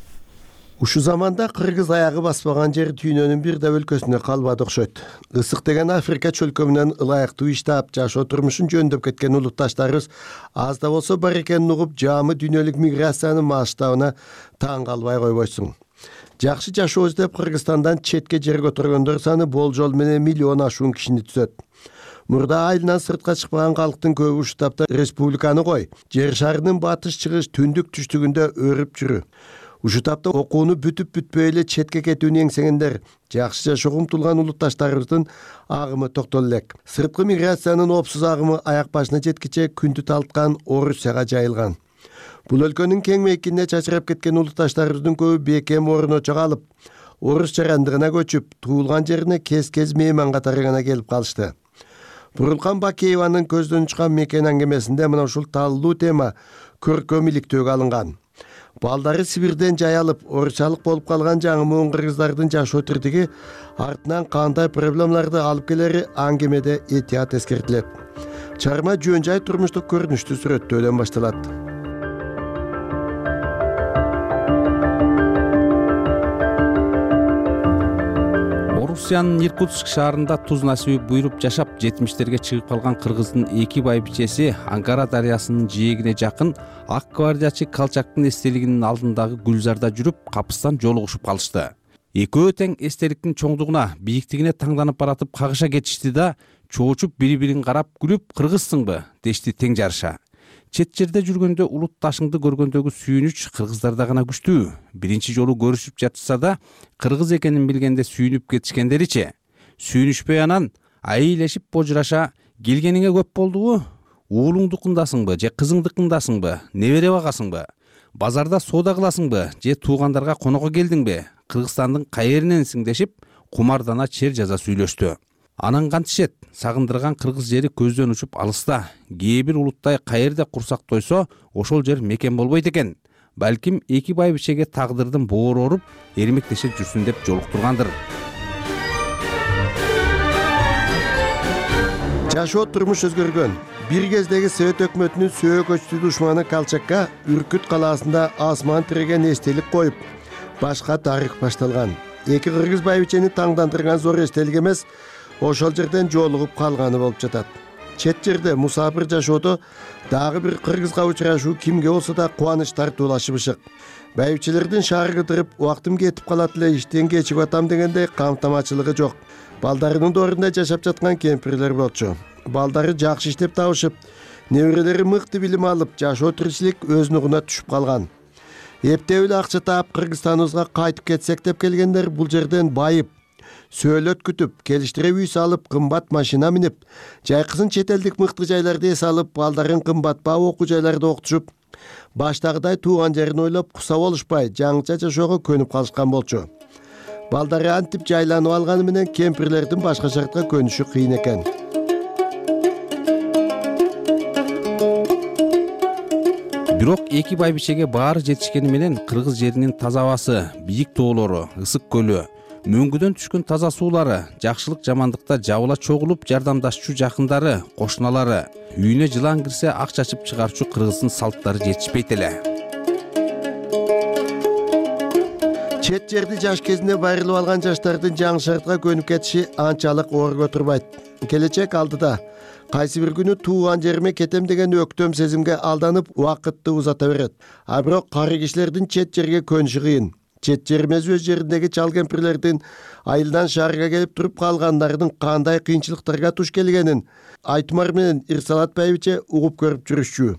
Ушу заманда кыргыз аягы баспаган жер дүйнөнүн бир да өлкөсүнө калбады окшойт. Ысык деген Африка чөлкөмүнөн ылайыктуу иштап, жашоо турмушун жөндөп кеткен улутташтарыбыз аз да болсо бар экенин угуп, жаамы дүйнөлүк миграциянын масштабына таң калбай койбойсуң. Жакшы жашоо издеп Кыргызстандан четке жер көтөргөндөр саны болжол менен миллион ашуун кишини түзөт. Мурда айылынан сыртка чыкпаган калктын көбү ушул тапта республиканы кой, жер шарынын батыш, чыгыш, түндүк, түштүгүндө өрүп жүрү. Ушул тапта окууну бүтүп-бүтпөй эле четке кетүүнү эңсегендер, жакшы жашоого умтулган улутташтарыбыздын агымы токтоло элек. Сырткы миграциянын опсуз агымы аяк башына жеткиче күндү талткан Орусияга жайылган. Бул өлкөнүн кең мейкине чачырап кеткен улутташтарыбыздын көбү бекем орночо калып, орус жарандыгына көчүп, туулган жерине кез-кез мейман катары гана келип калышты. Бурулкан Бакееванын көздөн учкан мекен аңгемесинде мына ушул талдуу тема көркөм иликтөөгө алынган. Балдары Сибирден жайылып, орусчалык болуп калган жаңы муун кыргыздардын жашоо тиртиги артынан кандай проблемаларды алып келери аңгемеде этият эскертилет. Чарма жөн жай турмуштук көрүнүштү сүрөттөөдөн башталат. Орусиянын Иркутск шаарында туз насиби буйруп жашап, 70-терге чыгып калган кыргыздын эки байбичеси Ангара дарыясынын жээгине жакын ак гвардиячы Калчактын эстелигинин алдындагы гүлзарда жүрүп, капыстан жолугушуп калышты. Экөө тең эстеликтин чоңдугуна, бийиктигине таңданып баратып кагыша кетишти да, чоочуп бири-бирин карап күлүп, кыргызсыңбы дешти тең жарыша. Чет жерде жүргөндө улут ташыңды көргөндөгү сүйүнүч кыргыздарда гана күчтүү. Биринчи жолу көрүшүп жатышса да, кыргыз экенин билгенде сүйүнүп кетишкендеричи. Сүйүнүшпөй анан айылешип божураша, келгениңе көп болдубу? Уулуңдукундасыңбы же кызыңдыкындасыңбы? Небере багасыңбы? Базарда соода кыласыңбы же туугандарга конокко келдиңби? Кыргызстандын кайериненсиң дешип, кумардана чер жаза сүйлөштү. Анан кантишет, сагындырган кыргыз жери көздөн учуп алыста. Кээ бир улуттай кайерде курсак тойсо, ошол жер мекен болбойт экен. Балким эки байбичеге тагдырдын боору оруп, эрмектеше жүрсүн деп жолуктургандыр. Жашоо турмуш өзгөргөн. Бир кездеги Совет өкмөтүнүн сөөгөчтүү душманы Калчакка Үркүт калаасында асман тиреген эстелик коюп, башка тарых башталган. Эки кыргыз байбичени таңдандырган зор эстелик эмес, ошол жерден жолугуп калганы болуп жатат. чет жерде мусапир жашоодо дагы бир кыргызга учурашуу кимге болсо да кубаныч тартуулашып ышык. Байбичелердин шаар кыдырып убактым кетип калат эле, иштен кечигип атам дегенде камтамачылыгы жок. Балдарынын доорунда жашап жаткан кемпирлер болчу. Балдары жакшы иштеп табышып, неберелери мыкты билим алып, жашоо тиричилик өз нугуна түшүп калган. Эптеп эле акча таап Кыргызстаныбызга кайтып кетсек деп келгендер бул жерден байып, сөөлөт күтүп, келиштире үй салып, кымбат машина минип, жайкысын чет элдик мыкты жайларда эс алып, балдарын кымбатбаа окуу жайларда окутушуп, баштагыдай тууган жерин ойлоп куса болушпай, жаңыча жашоого көнүп калышкан болчу. Балдары антип жайланып алганы менен кемпирлердин башка шартка көнүшү кыйын экен. Бирок эки байбичеге баары жетишкени менен кыргыз жеринин таза абасы, бийик тоолору, ысык көлү, мөңгүдөн түшкөн таза суулары, жакшылык жамандыкта жабыла чогулуп жардамдашчу жакындары, кошуналары, үйүнө жылан кирсе ак чачып чыгарчу кыргыздын салттары жетишпейт эле. Чет жерди жаш кезинде байрылып алган жаштардын жаңы шартка көнүп кетиши анчалык оорго турбайт. Келечек алдыда. Кайсы бир күнү тууган жериме кетем деген өктөм сезимге алданып убакытты узата берет. А бирок кары кишилердин чет жерге көнүшү кыйын. Чет жер эмес өз жериндеги чал кемпирлердин айылдан шаарга келип туруп калгандардын кандай кыйынчылыктарга туш келгенин Айтмар менен Ирсалат байбиче угуп көрүп жүрүшчү.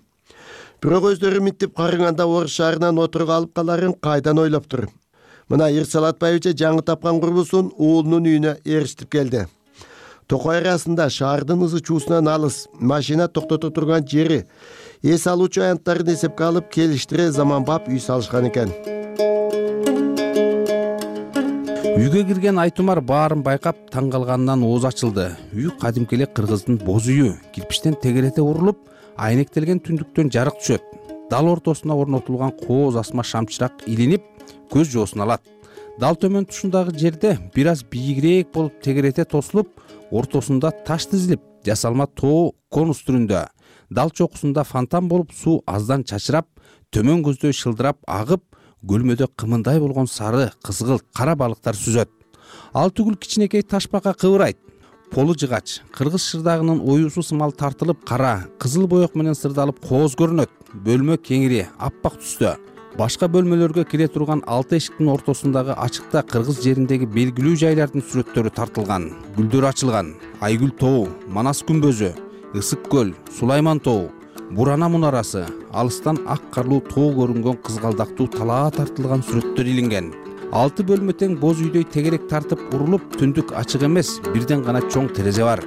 Бирок өздөрү минтип карыганда Орус шаарынан отурга алып каларын кайдан ойлоптур. Мына Ирсалат байбиче жаңы тапкан курбусун уулунун үйүнө ээрчитип келди. Токой арасында шаардын ызы чуусунан алыс, машина токтото турган жери, эс алуучу аянттарын эсепке алып келиштире заманбап үй салышкан экен. Үйгө кирген Айтумар баарын байкап таң калганынан ооз ачылды. Үй кадимки эле кыргыздын боз үйү, кирпичтен тегерете урулуп, айнектелген түндүктөн жарык түшөт. Дал ортосуна орнотулган кооз асма шамчырак илинип, көз жоосун алат. Дал төмөн тушундагы жерде бир аз бийигирээк болуп тегерете тосулуп, ортосунда таш тизилип, жасалма тоо конус түрүндө, дал чокусунда фонтан болуп суу аздан чачырап, төмөн көздөй шылдырап агып, көлмөдө кымындай болгон сары, кызгылт, кара балыктар сүзөт. Ал түгүл кичинекей ташбака кыбырайт. Полу жыгач, кыргыз шырдагынын оюусу сымал тартылып, кара, кызыл боек менен сырдалып кооз көрүнөт. Бөлмө кеңири, аппак түстө. Башка бөлмөлөргө кире турган 6 эшиктин ортосундагы ачыкта кыргыз жериндеги белгилүү жайлардын сүрөттөрү тартылган. Гүлдөр ачылган, Айгүл тоо, Манас күмбөзү, Ысык көл, Сулайман тоо, Бурана мунарасы, алыстан ак карлуу тоо көрүнгөн кызгалдактуу талаа тартылган сүрөттөр илинген. 6 бөлмө тең боз үйдөй тегерек тартып урулуп, түндүк ачык эмес, бирден гана чоң терезе бар.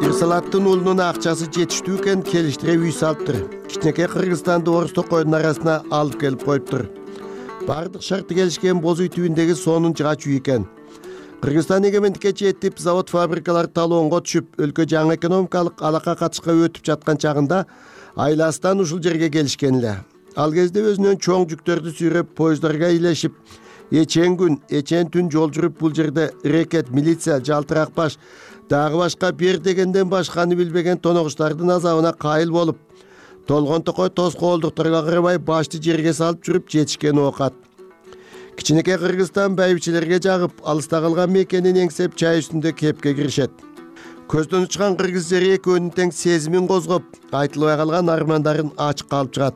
Ирсалаттын уулунун акчасы жетиштүү экен, келиштире үй салыптыр. Кичинекей Кыргызстанды Орус токойдун арасына алып келип коюптур. Бардык шарты келишкен боз үй түбүндөгү сонун жыгач үй экен. Кыргызстан эгемендикке жетип, завод фабрикалар талоонго түшүп, өлкө жаңы экономикалык алака катышка өтүп жаткан чагында айластан ушул жерге келишкен эле. Ал кезде өзүнөн чоң жүктөрдү сүйрөп, поезддарга илешип, эчен күн, эчен түн жол жүрүп бул жерде рекет, милиция, жалтырак баш, дагы башка бер дегенден башканы билбеген тоногучтардын азабына кайыл болуп, толгон токой тоскоолдуктарга карабай башты жерге салып жүрүп жетишкен оокат. Кичинекей Кыргызстан байбичелерге жагып, алыста калган мекенин эңсеп чай үстүндө кепке киришет. Көздөн учкан кыргыз жери экөөнүн тең сезимин козгоп, айтылбай калган армандарын ачык алып чыгат.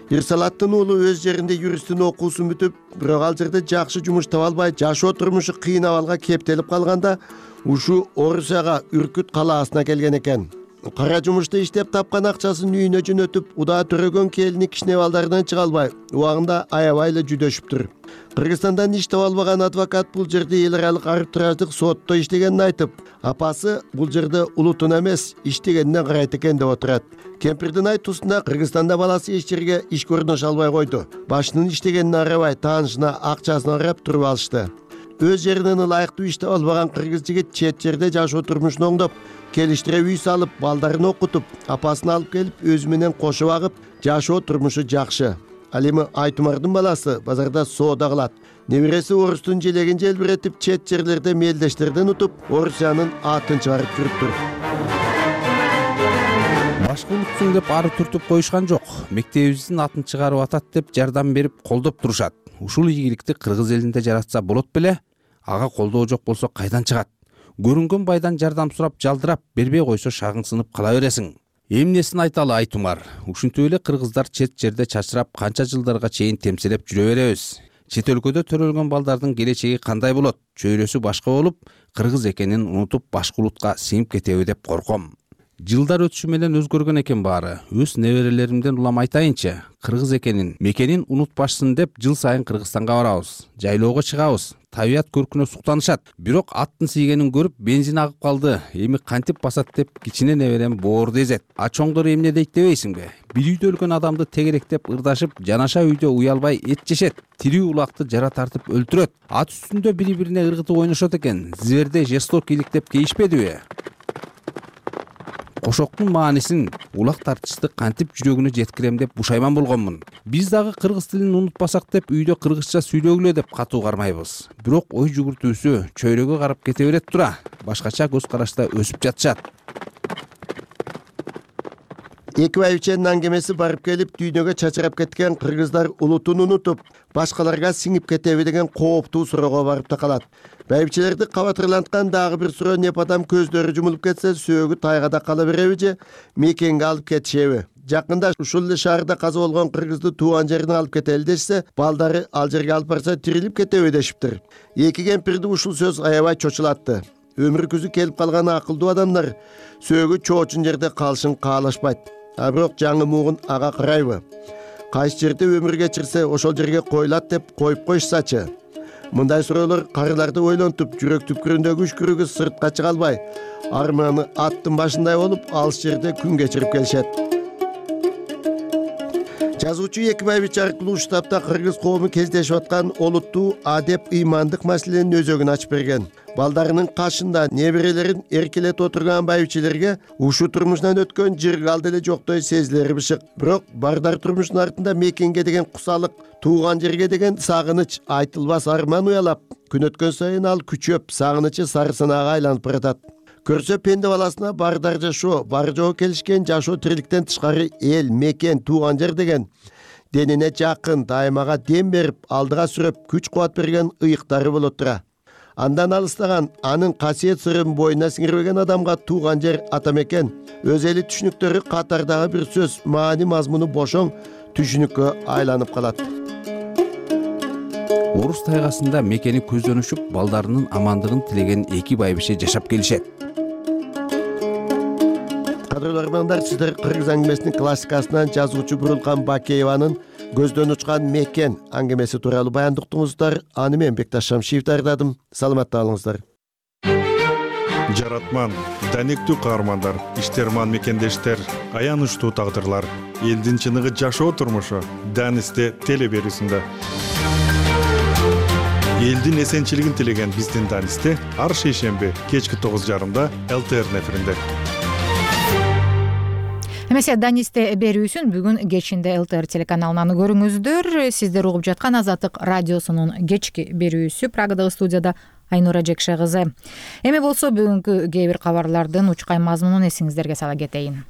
Ирсалаттын уулу өз жеринде юристтин окуусун бүтүп, бирок ал жерде жакшы жумуш таба албай, жашоо турмушу кыйын абалга кептелип калганда, ушу Орусияга Үркүт калаасына келген экен. Кара жумушта иштеп тапкан акчасын үйүнө жөнөтүп, удаа төрөгөн келини кичине балдарынан чыга албай, убагында аябай эле жүдөшүптүр. Кыргызстандан иш таба албаган адвокат бул жерде эл аралык арбитраждык сотто иштегенин айтып, апасы бул жерде улутун эмес, иштегенине карайт экен деп отурат. Кемпирдин айтуусунда Кыргызстанда баласы эч жерге иш көрүнөш албай койду. Башынын иштегенине карабай, таанышына, акчасына карап туруп алышты. Өз жеринен ылайыктуу иш таба албаган кыргыз жигит чет жерде жашоо турмушун оңдоп, келиштире үй салып, балдарын окутуп, апасын алып келип, өзү менен кошо агып, жашоо турмушу жакшы. Ал эми Айтумардын баласы базарда соода кылат. Небереси Орустун желегин желбиретип, чет жерлерде мелдештерден утуп, Орусиянын атын чыгарып жүрүптүр. Башка улутсуң деп ары түртүп коюшкан жок. Мектебибиздин атын чыгарып атат деп жардам берип, колдоп турушат. Ушул ийгиликти кыргыз элинде жаратса болот беле? ага колдоо жок болсо кайдан чыгат? Көрүнгөн байдан жардам сурап жалдырап бербей койсо шагыңсынып кала бересиң. Эмнесин айталы Айтумар? Ушинтип эле кыргыздар чет жерде чачырап канча жылдарга чейин темселеп жүрө беребиз. Чет өлкөдө төрөлгөн балдардын келечеги кандай болот? Чөйрөсү башка болуп, кыргыз экенин унутуп башка улутка сиңип кетеби деп корком. Жылдар өтүшү менен өзгөргөн экен баары. Өз неберелеримден улам айтайынчы, кыргыз экенин, мекенин унутпашсын деп жыл сайын Кыргызстанга барабыз. Жайлоого чыгабыз. Табият көркүнө суктанышат. Бирок аттын тийгенин көрүп бензин агып калды. Эми кантип басат деп кичине неберем боорду эзет. А чоңдор эмне дейт дебейсиңби? Бир үйдө өлгөн адамды тегеректеп ырдашып, жанаша үйдө уялбай эт жешет. Тирүү улакты жара тартып өлтүрөт. Ат үстүндө бири-бирине ыргытып ойношот экен. Зверде жестокийлик деп кейишпедиби? Кошоктун маанисин, улак тартышты кантип жүрөгүнө жеткирем деп бушайман болгонмун. Биз дагы кыргыз тилин унутпасак деп үйдө кыргызча сүйлөгүлө деп катуу кармайбыз. Бирок ой жүгүртүүсү чөйрөгө карап кете берет тура. Башкача көз карашта өсүп жатышат. Эки байбиченин аңгемеси барып келип дүйнөгө чачырап кеткен кыргыздар улутун унутуп, башкаларга сиңип кетеби деген кооптуу суроого барып такалат. Байбичелерди кабатырланткан дагы бир суроо непадам көздөрү жумулуп кетсе, сөөгү тайгада кала береби же мекенге алып кетишеби? Жакында ушул эле шаарда каза болгон кыргызды тууган жерине алып кетели дешсе, балдары ал жерге алып барса тирилип кетеби дешиптир. Эки кемпирди ушул сөз аябай чочулатты. Өмүр күзү келип калган акылдуу адамдар сөөгү чоочун жерде калышын каалашпайт. А бирок жаңы муугун ага карайбы? Кайсы жерде өмүр кечирсе, ошол жерге коюлат деп коюп коюшсачы. Мындай суроолор карыларды ойлонтуп, жүрөк түпкүрүндөгү үшкүрүгү сыртка чыга албай, арманы аттын башындай болуп, алыс жерде күн кечирип келишет. Жазуучу эки байбиче аркылуу ушул тапта кыргыз коому кездешип аткан олуттуу адеп ыймандык маселенин өзөгүн ачып берген. Балдарынын кашында неберелерин эркелетип отурган байбичелерге ушул турмушунан өткөн жыргалды эле жоктой сезилери бышык. Бирок бардар турмуштун артында мекенге деген кусалык, тууган жерге деген сагыныч, айтылбас арман уялап, күн өткөн сайын ал күчөп, сагынычы сарысанаага айланып баратат. Көрсө пенде баласына бардар жашоо, бар жогу келишкен жашоо тириликтен тышкары эл, мекен, тууган жер деген денине жакын, дайымага дем берип, алдыга сүрөп, күч кубат берген ыйыктары болот тура. Андан алыстаган, анын касиет сырын боюна сиңирбеген адамга тууган жер, ата мекен, өз эли түшүнүктөрү катардагы бир сөз, маани мазмуну бошоң түшүнүккө айланып калат. Орус тайгасында мекени көздөн учуп, балдарынын амандыгын тилеген эки байбише жашап келишет. Кадырлуу армандар, сиздер кыргыз аңгемесинин классикасынан жазуучу Бурулкан Бакееванын көздөн учкан мекен аңгемеси тууралуу баяндыктыңыздар. Аны мен Бекташ Шамшиев даярдадым. Саламатта болуңуздар. Жаратман, данектүү каармандар, иштерман мекендештер, аянычтуу тагдырлар, элдин чыныгы жашоо турмушу Данисте теле берүүсүндө. Элдин эсенчилигин тилеген биздин Данисте ар шейшемби кечки 9:30 ЛТР эфиринде. Эмесе Данисте берүүсүн бүгүн кечинде ЛТР телеканалынан көрүңүздөр. Сиздер угуп жаткан Азаттык радиосунун кечки берүүсү. Прагадагы студияда Айнура Жекше кызы. Эми болсо бүгүнкү кээ бир кабарлардын учкай мазмунун эсиңиздерге сала кетейин.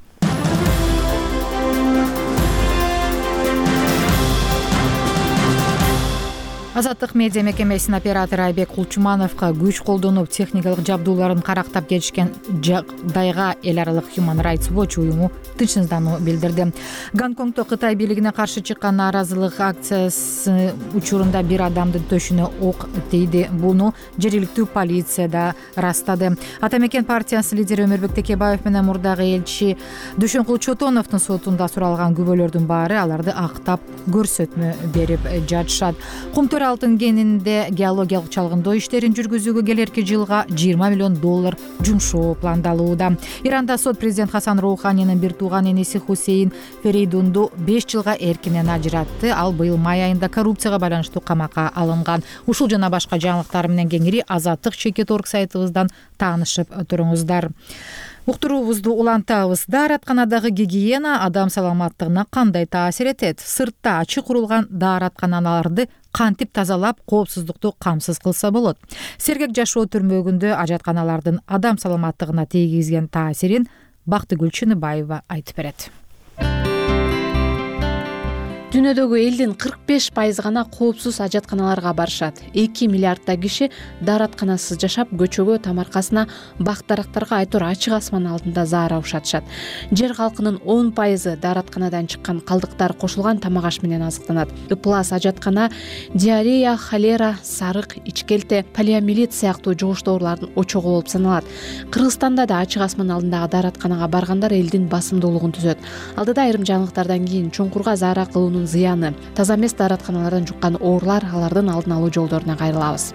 Азаттык медиа мекемесинин оператору Айбек Кулчумановго күч колдонуп техникалык жабдууларын карактап кетишкен жагдайга эл аралык Human Rights Watch уюму тынчсыздануу билдирди. Гонконгдо Кытай бийлигине каршы чыккан нааразылык акциясы учурунда бир адамдын төшүнө ок тийди. Буну жергиликтүү полиция да ырастады. Ата мекен партиясынын лидери Өмүрбек Текебаев менен мурдагы элчи Дүйшөнкул Чотоновдун сотунда суралган күбөлөрдүн баары аларды актап көрсөтмө берип жатышат. Кумтөр алтын кенинде геологиялык чалгындоо иштерин жүргүзүүгө келерки жылга $20 миллион жумшоо пландалууда. Иранда сот президент Хасан Роуханинин бир тууган энеси Хусейн Ферейдунду 5 жылга эркинен ажыратты. Ал быйыл май айында коррупцияга байланыштуу камакка алынган. Ушул жана башка жаңылыктар менен кеңири Азаттык чекит орг сайтыбыздан таанышып туруңуздар. Уктуруубузду улантабыз. Дааратканадагы гигиена адам саламаттыгына кандай таасир этет? Сыртта ачык курулган дааратканаларды кантип тазалап, коопсуздукту камсыз кылса болот? Сергек жашоо түрмөгүндө ажатканалардын адам саламаттыгына тийгизген таасирин Бактыгүл Чыныбаева айтып берет. Дүйнөдөгү элдин 45% гана коопсуз ажатканаларга барышат. 2 миллиарддай киши дааратканасыз жашап, көчөгө, тамаркасына, бак-дарактарга айтор ачык асман алдында заара ушатышат. Жер калкынын 10% дааратканадан чыккан калдыктар кошулган тамак аш менен азыктанат. Ыплас ажаткана диарея, холера, сарык, ичкелте, полиомиелит сыяктуу жугуштуу оорулардын очогу болуп саналат. Кыргызстанда да ачык асман алдындагы дааратканага баргандар элдин басымдуулугун түзөт. Алдыда айрым жаңылыктардан кийин чуңкурга заара кылуунун зыяны, таза эмес дааратканалардан жуккан оорулар, алардын алдын алуу жолдоруна кайрылабыз.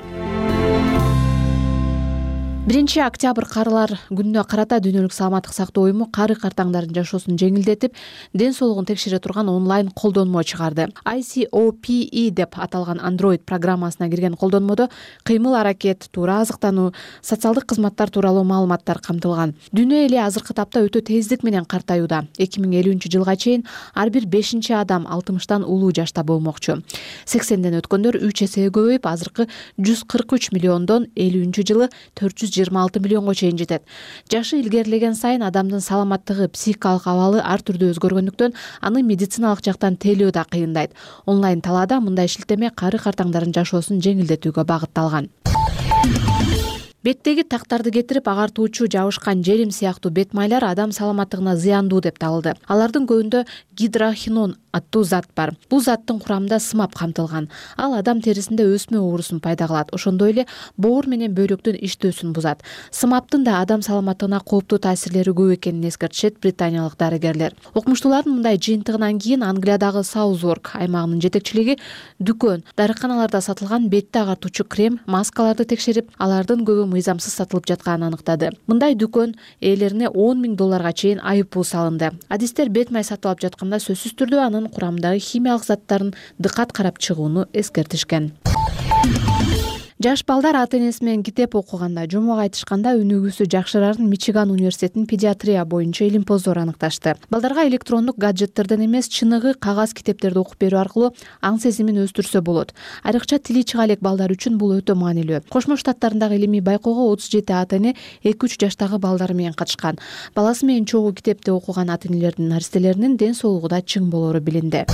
1-октябрь карылар күнүнө карата Дүйнөлүк саламаттык сактоо уюму кары картаңдардын жашоосун жеңилдетип, ден соолугун текшере турган онлайн колдонмо чыгарды. ICOPE деп аталган Android программасына кирген колдонмодо кыймыл аракет, туура азыктануу, социалдык кызматтар тууралуу маалыматтар камтылган. Дүйнө эли азыркы тапта өтө тездик менен картаюуда. 2050-жылга чейин ар бир 5-чи адам 60тан улуу жашта болмокчу. 80ден өткөндөр 3 эсеге көбөйүп, азыркы 143 миллиондон 50-жылы 426 миллионго чейин жетет. Жашы илгерилеген сайын адамдын саламаттыгы, психикалык абалы ар түрдүү өзгөргөндүктөн аны медициналык жактан тейлөө да кыйындайт. Онлайн талаада мындай шилтеме кары картаңдардын жашоосун жеңилдетүүгө багытталган. Беттеги тактарды кетирип агартуучу жабышкан желим сыяктуу бет майлар адам саламаттыгына зыяндуу деп табылды. Алардын көбүндө гидрохинон аттуу зат бар. Бул заттын курамында сымап камтылган. Ал адам терисинде өсмө оорусун пайда кылат. Ошондой эле боор менен бөйрөктүн иштөөсүн бузат. Сымаптын да адам саламаттыгына кооптуу таасирлери көп экенин эскертишет британиялык дарыгерлер. Окумуштуулардын мындай жыйынтыгынан кийин Англиядагы Саузворк аймагынын жетекчилиги дүкөн, дарыканаларда сатылган бетти агартуучу крем, маскаларды текшерип, алардын көбү мыйзамсыз сатылып жатканын аныктады. Мындай дүкөн ээлерине $10,000 чейин айыппул салынды. Адистер бет май сатып алып жатканда сөзсүз түрдө анын курамындагы химиялык заттарын дыкат карап чыгууну эскертишкен. Жаш балдар ата-энеси менен китеп окуганда, жомок айтышканда өнүгүүсү жакшырарын Мичиган университетинин педиатрия боюнча илимпоздору аныкташты. Балдарга электрондук гаджеттерден эмес, чыныгы кагаз китептерди окуп берүү аркылуу аң сезимин өстүрсө болот. Айрыкча тили чыга элек балдар үчүн бул өтө маанилүү. Кошмо Штаттарындагы илимий байкоого 37 ата-эне 2-3 жаштагы балдары менен катышкан. Баласы менен чогуу китепти окуган ата-энелердин наристелеринин ден соолугу да чың болору билинди.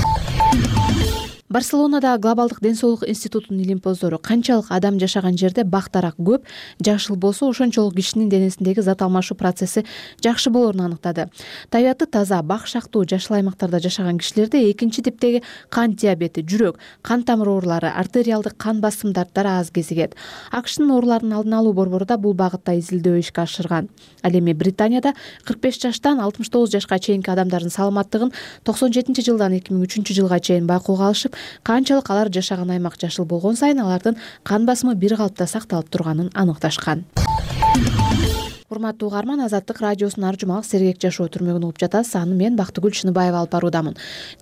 Барселонада Глобалдык ден соолук институтунун илимпоздору канчалык адам жашаган жерде бак-дарак көп, жашыл болсо ошончолук кишинин денесиндеги зат алмашуу процесси жакшы болоорун аныктады. Табияты таза, бак шактуу жашыл аймактарда жашаган кишилерде 2-типтеги кант диабети, жүрөк, кан тамыр оорулары, артериалдык кан басым дарттары аз кезигет. АКШнын оорулардын алдын алуу борбору да бул багытта изилдөө ишке ашырган. Ал эми Британияда 45 жаштан 69 жашка чейинки адамдардын саламаттыгын 97-жылдан 2003-жылга чейин байкоого алышып, канчалык алар жашаган аймак жашыл болгон сайын алардын кан басымы бир калыпта сакталып турганын аныкташкан. Урматтуу угарман, Азаттык радиосунун ар жумалык сергек жашоо түрмөгүн угуп жатасыз. Аны мен Бактыгүл Шыныбаева алып баруудамын.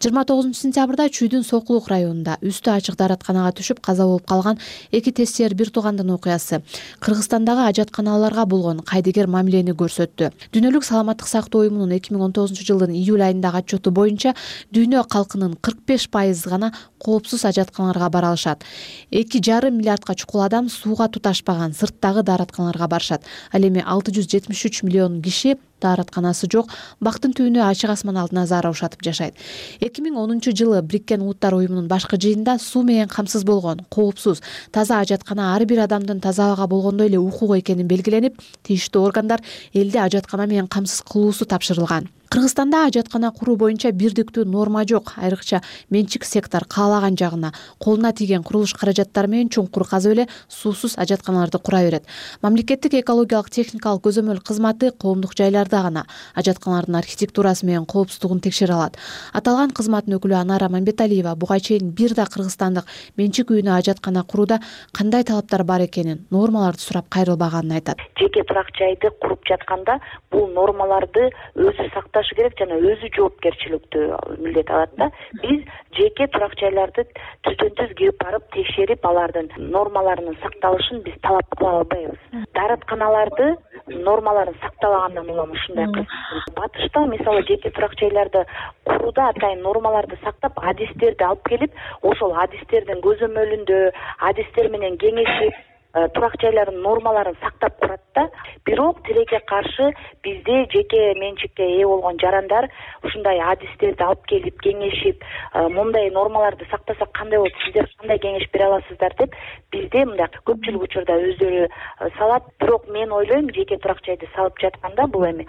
29-сентябрда Чүйдүн Сокулук районунда үстү ачык дааратканага түшүп каза болуп калган 2 тестер бир туугандын окуясы Кыргызстандагы ажатканаларга болгон кайдыгер мамилени көрсөттү. Дүйнөлүк саламаттык сактоо уюмунун 2019-жылдын июль айындагы отчету боюнча дүйнө калкынын 45% гана коопсуз ажатканаларга бара алышат. 2,5 миллиардка чукул адам сууга туташпаган сырттагы дааратканаларга барышат. Ал эми 673 миллион киши дааратканасы жок, бактын түбүнө ачык асман алдына заара ушатып жашайт. 2010-жылы Бириккен Улуттар уюмунун башкы жыйынында суу менен камсыз болгон, коопсуз, таза ажаткана ар бир адамдын таза абага болгондой эле укугу экени белгиленип, тийиштүү органдар элде ажаткана менен камсыз кылуусу тапшырылган. Кыргызстанда ажаткана куруу боюнча бирдиктүү норма жок. Айрыкча менчик сектор каалаган жагына, колуна тийген курулуш каражаттары менен чуңкур казып эле суусуз ажатканаларды кура берет. Мамлекеттик экологиялык техникалык көзөмөл кызматы коомдук жайларда гана ажатканалардын архитектурасы менен коопсуздугун текшере алат. Аталган кызматтын өкүлү Анара Мамбеталиева буга чейин бир да кыргызстандык менчик үйүнө ажаткана курууда кандай талаптар бар экенин, нормаларды сурап кайрылбаганын айтат. Жеке турак жайды куруп жатканда бул нормаларды өзү сакташ керек жана өзү жоопкерчиликтүү милдет алат да. Биз жеке турак жайларды түздөн-түз келип барып текшерип, алардын нормаларынын сакталышын биз талап кыла албайбыз. Дааратканаларды нормаларын сакталагандан улам ушундай кыз. Батышта мисалы жеке турак жайларды курууда атайын нормаларды сактап, адистерди алып келип, ошол адистердин көзөмөлүндө адистер менен кеңешип, турак жайлардын нормаларын сактап турат да. Бирок тилекке каршы бизде жеке менчикке ээ болгон жарандар ушундай адистерди алып келип кеңешип, мындай нормаларды сактасак кандай болот, сиздер кандай кеңеш бере аласыздар деп бизде мындай көпчүлүк учурда өздөрү салат. Бирок мен ойлойм, жеке турак жайды салып жатканда бул эми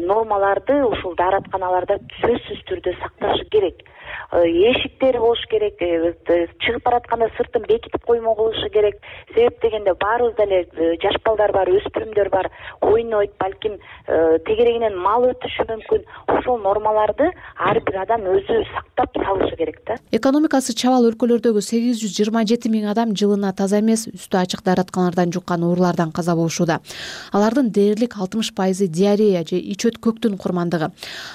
нормаларды ушул дааратканаларда сөзсүз түрдө сакташы керек. Эшиктери болуш керек, чыгып баратканда сыртын бекитип коймо кылышы керек. Себеп дегенде баарыбызда эле жаш балдар бар, өспүрүмдөр бар, ойнойт, балким тегерегинен мал өтүшү мүмкүн. Ошол нормаларды ар бир адам өзү сактап салышы керек да. Экономикасы чабал өлкөлөрдөгү 827 миң адам жылына таза эмес, үстү ачык дааратканалардан жуккан оорулардан каза болушууда. Алардын дээрлик 60% диарея же ич өткөктүн курмандыгы.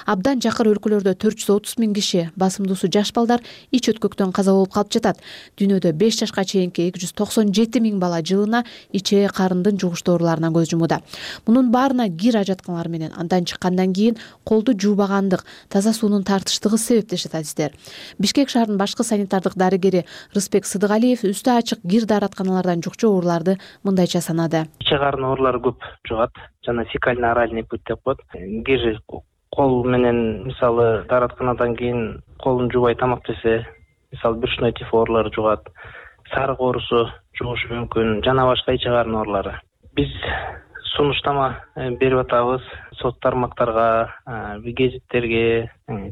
Абдан жакыр өлкөлөрдө 430 миң киши, басымдуусу жаш балдар, ич өткөктөн каза болуп калып жатат. Дүйнөдө 5 жашка чейинки 297 миң бала жылына ичээ карындын жугуштуу ооруларынан көз жумууда. Мунун баарына кир ажатканалар менен андан чыккандан кийин колду жуубагандык, таза суунун тартыштыгы себеп дешет адистер. Бишкек шаарынын башкы санитардык дарыгери Рыспек Сыдыгалиев үстү ачык кир дааратканалардан жукчу ооруларды мындайча санады. Иче карын оорулары көп жугат, жана фекально-оральный путь деп коет. Кир кол менен мисалы дааратканадан кийин колун жуубай тамак жесе, мисалы брюшной тиф оорулары жугат, сарык оорусу жугушу мүмкүн, жана башка иче карын оорулары. Биз сунуштама берип атабыз сот тармактарга, гезиттерге,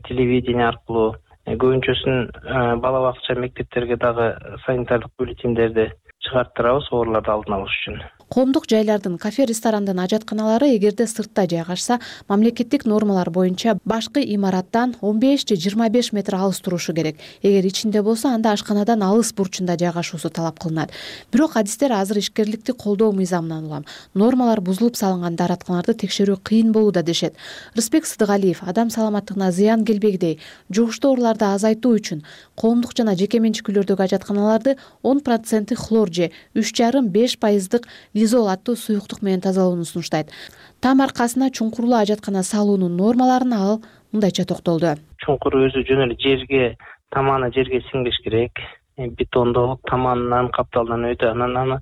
телевидение аркылуу. Көбүнчөсүн бала бакча, мектептерге дагы санитардык бюллетендерди чыгарттырабыз ооруларды алдын алыш үчүн. Коомдук жайлардын, кафе, ресторандын ажатканалары эгерде сыртта жайгашса, мамлекеттик нормалар боюнча башкы имараттан 15 же 25 метр алыс турушу керек. Эгер ичинде болсо, анда ашканадан алыс бурчунда жайгашуусу талап кылынат. Бирок адистер азыр ишкерликти колдоо мыйзамынан улам нормалар бузулуп салынган дааратканаларды текшерүү кыйын болууда дешет. Рыспек Сыдыгалиев адам саламаттыгына зыян келбегидей жугуштуу ооруларды азайтуу үчүн коомдук жана жеке менчик үйлөрдөгү ажатканаларды 10% хлор же 3,5% изол аттуу суюктук менен тазалоону сунуштайт. Там аркасына чуңкурлуу ажаткана салуунун нормаларына ал мындайча токтолду. Чуңкур өзү жөн эле жерге, таманы жерге сиңбеш керек. Бетондолуп, таманынан, капталынан өтө, анан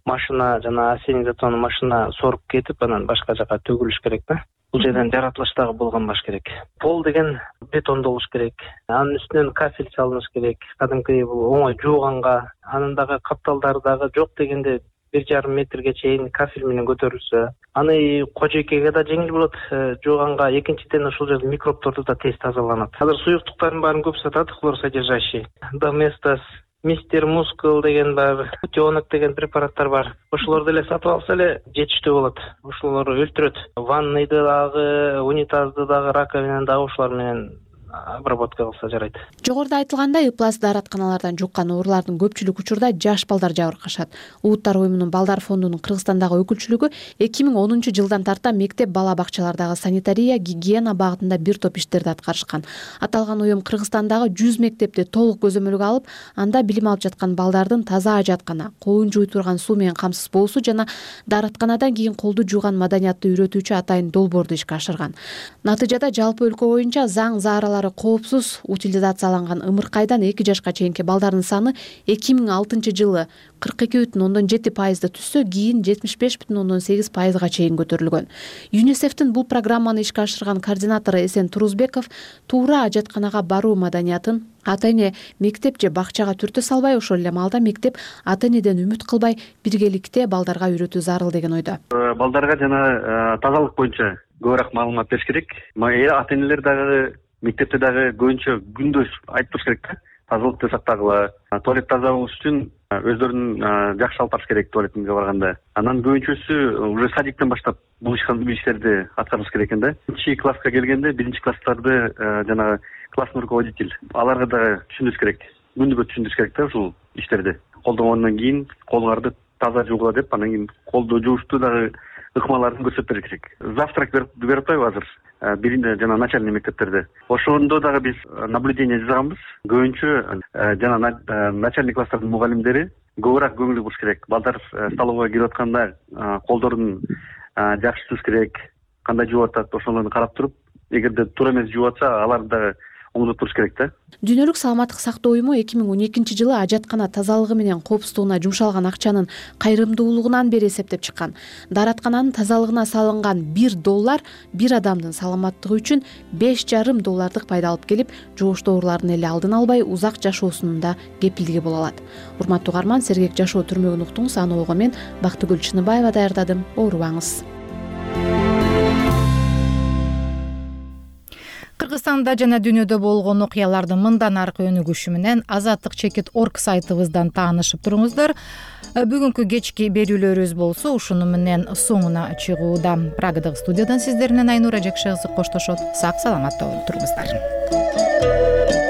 машина жана ассенизационный машина соруп кетип, анан башка жака төгүлүш керек да. Бул жерден жаратылыш дагы болгонбаш керек. Пол деген бетондо болуш керек. Анын үстүнөн кафель салыныш керек. Кадимки бул оңой жууганга, анын дагы капталдары дагы жок дегенде 1,5 метрге чейин кафель менен көтөрүлсө, аны кожойкеге да жеңил болот жууганга. Экинчиден ушул жерде микробторду да тез тазаланат. Азыр суюктуктардын баарын көп сатат, хлор содержащий. Доместос, Мистер Мускул деген бар, Путенок деген препараттар бар. Ошолорду эле сатып алса эле жетиштүү болот. Ошолор өлтүрөт. Ванныйды дагы, унитазды дагы, раковинаны дагы ошолор менен обработка кылса жарайт. Жогоруда айтылгандай, ыплас дааратканалардан жуккан оорулардын көпчүлүк учурда жаш балдар жабыркашат. Улуттар уюмунун балдар фондунун Кыргызстандагы өкүлчүлүгү 2010 жылдан тарта мектеп бала бакчалардагы санитария, гигиена багытында бир топ иштерди аткарышкан. Аталган уюм Кыргызстандагы 100 мектепти толук көзөмөлгө алып, анда билим алып жаткан балдардын таза ажаткана, колун жууй турган суу менен камсыз болуусу жана дааратканадан кийин колду жууган маданиятты үйрөтүүчү атайын долбоорду ишке ашырган. Натыйжада жалпы өлкө боюнча заң зааралары коопсуз утилизацияланган ымыркайдан 2 жашка чейинки балдардын саны 2006 жылы 42,7% түшсө, кийин 75,8%га чейин көтөрүлгөн. ЮНИСЕФтин бул программаны ишке ашырган координатору Эсен Турузбеков туура ажатканага баруу маданиятын ата-эне мектеп же бакчага түртө салбай, ошол эле маалда мектеп ата-энеден үмүт кылбай биргеликте балдарга үйрөтүү зарыл деген ойдо. Балдарга жана тазалык боюнча көбүрөөк маалымат бериш керек. Ата-энелер дагы мектепте дагы көбүнчө күндөш айтып туруш керек да. Тазалыкты сактагыла, туалет таза болуш үчүн өздөрүн жакшы алып барыш керек туалетинге барганда. Анан көбүнчөсү уже садиктен баштап бул иштерди аткарыш керек экен да. 1 класска келгенде 1 класстарды жанагы классный руководитель аларга дагы түшүндүрүш керек. Күнүгө түшүндүрүш керек да ушул иштерди. Колдонгондон кийин колуңарды таза жуугула деп, анан кийин колду жуушту дагы ыкмаларын көрсөтүп бериш керек. Завтрак берип атпайбы азыр? Биринде жана начальный мектептерде. Ошондо дагы биз наблюдение жасаганбыз. Көбүнчө жана начальный класстардын мугалимдери көбүрөөк көңүл буруш керек. Балдар столовойго кирип атканда колдорун жакшы жууш керек, кандай жууп атат, ошолорду карап туруп, эгерде туура эмес жууп атса, аларды дагы оңдоп туруш керек да. Дүйнөлүк саламаттык сактоо уюму 2012 жылы ажаткана тазалыгы менен коопсуздугуна жумшалган акчанын кайрымдуулугунан бери эсептеп чыккан. Даараткананын тазалыгына салынган $1 бир адамдын саламаттыгы үчүн $5,5 пайда алып келип, жугуштуу оорулардын эле алдын албай узак жашоосунун да кепилдиги боло алат. Урматтуу угарман, сергек жашоо түрмөгүн уктуңуз. Аны ого мен Бактыгүл Чыныбаева даярдадым. Оорубаңыз. Кыргызстанда жана дүйнөдө болгон окуялардын мындан аркы өнүгүшү менен azatlyk.org сайтыбыздан таанышып туруңуздар. Бүгүнкү кечки берүүлөрүбүз болсо ушуну менен соңуна чыгууда. Прагадагы студиядан сиздер менен Айнура Жакшы кызы коштошот. Сак саламатта туруңуздар.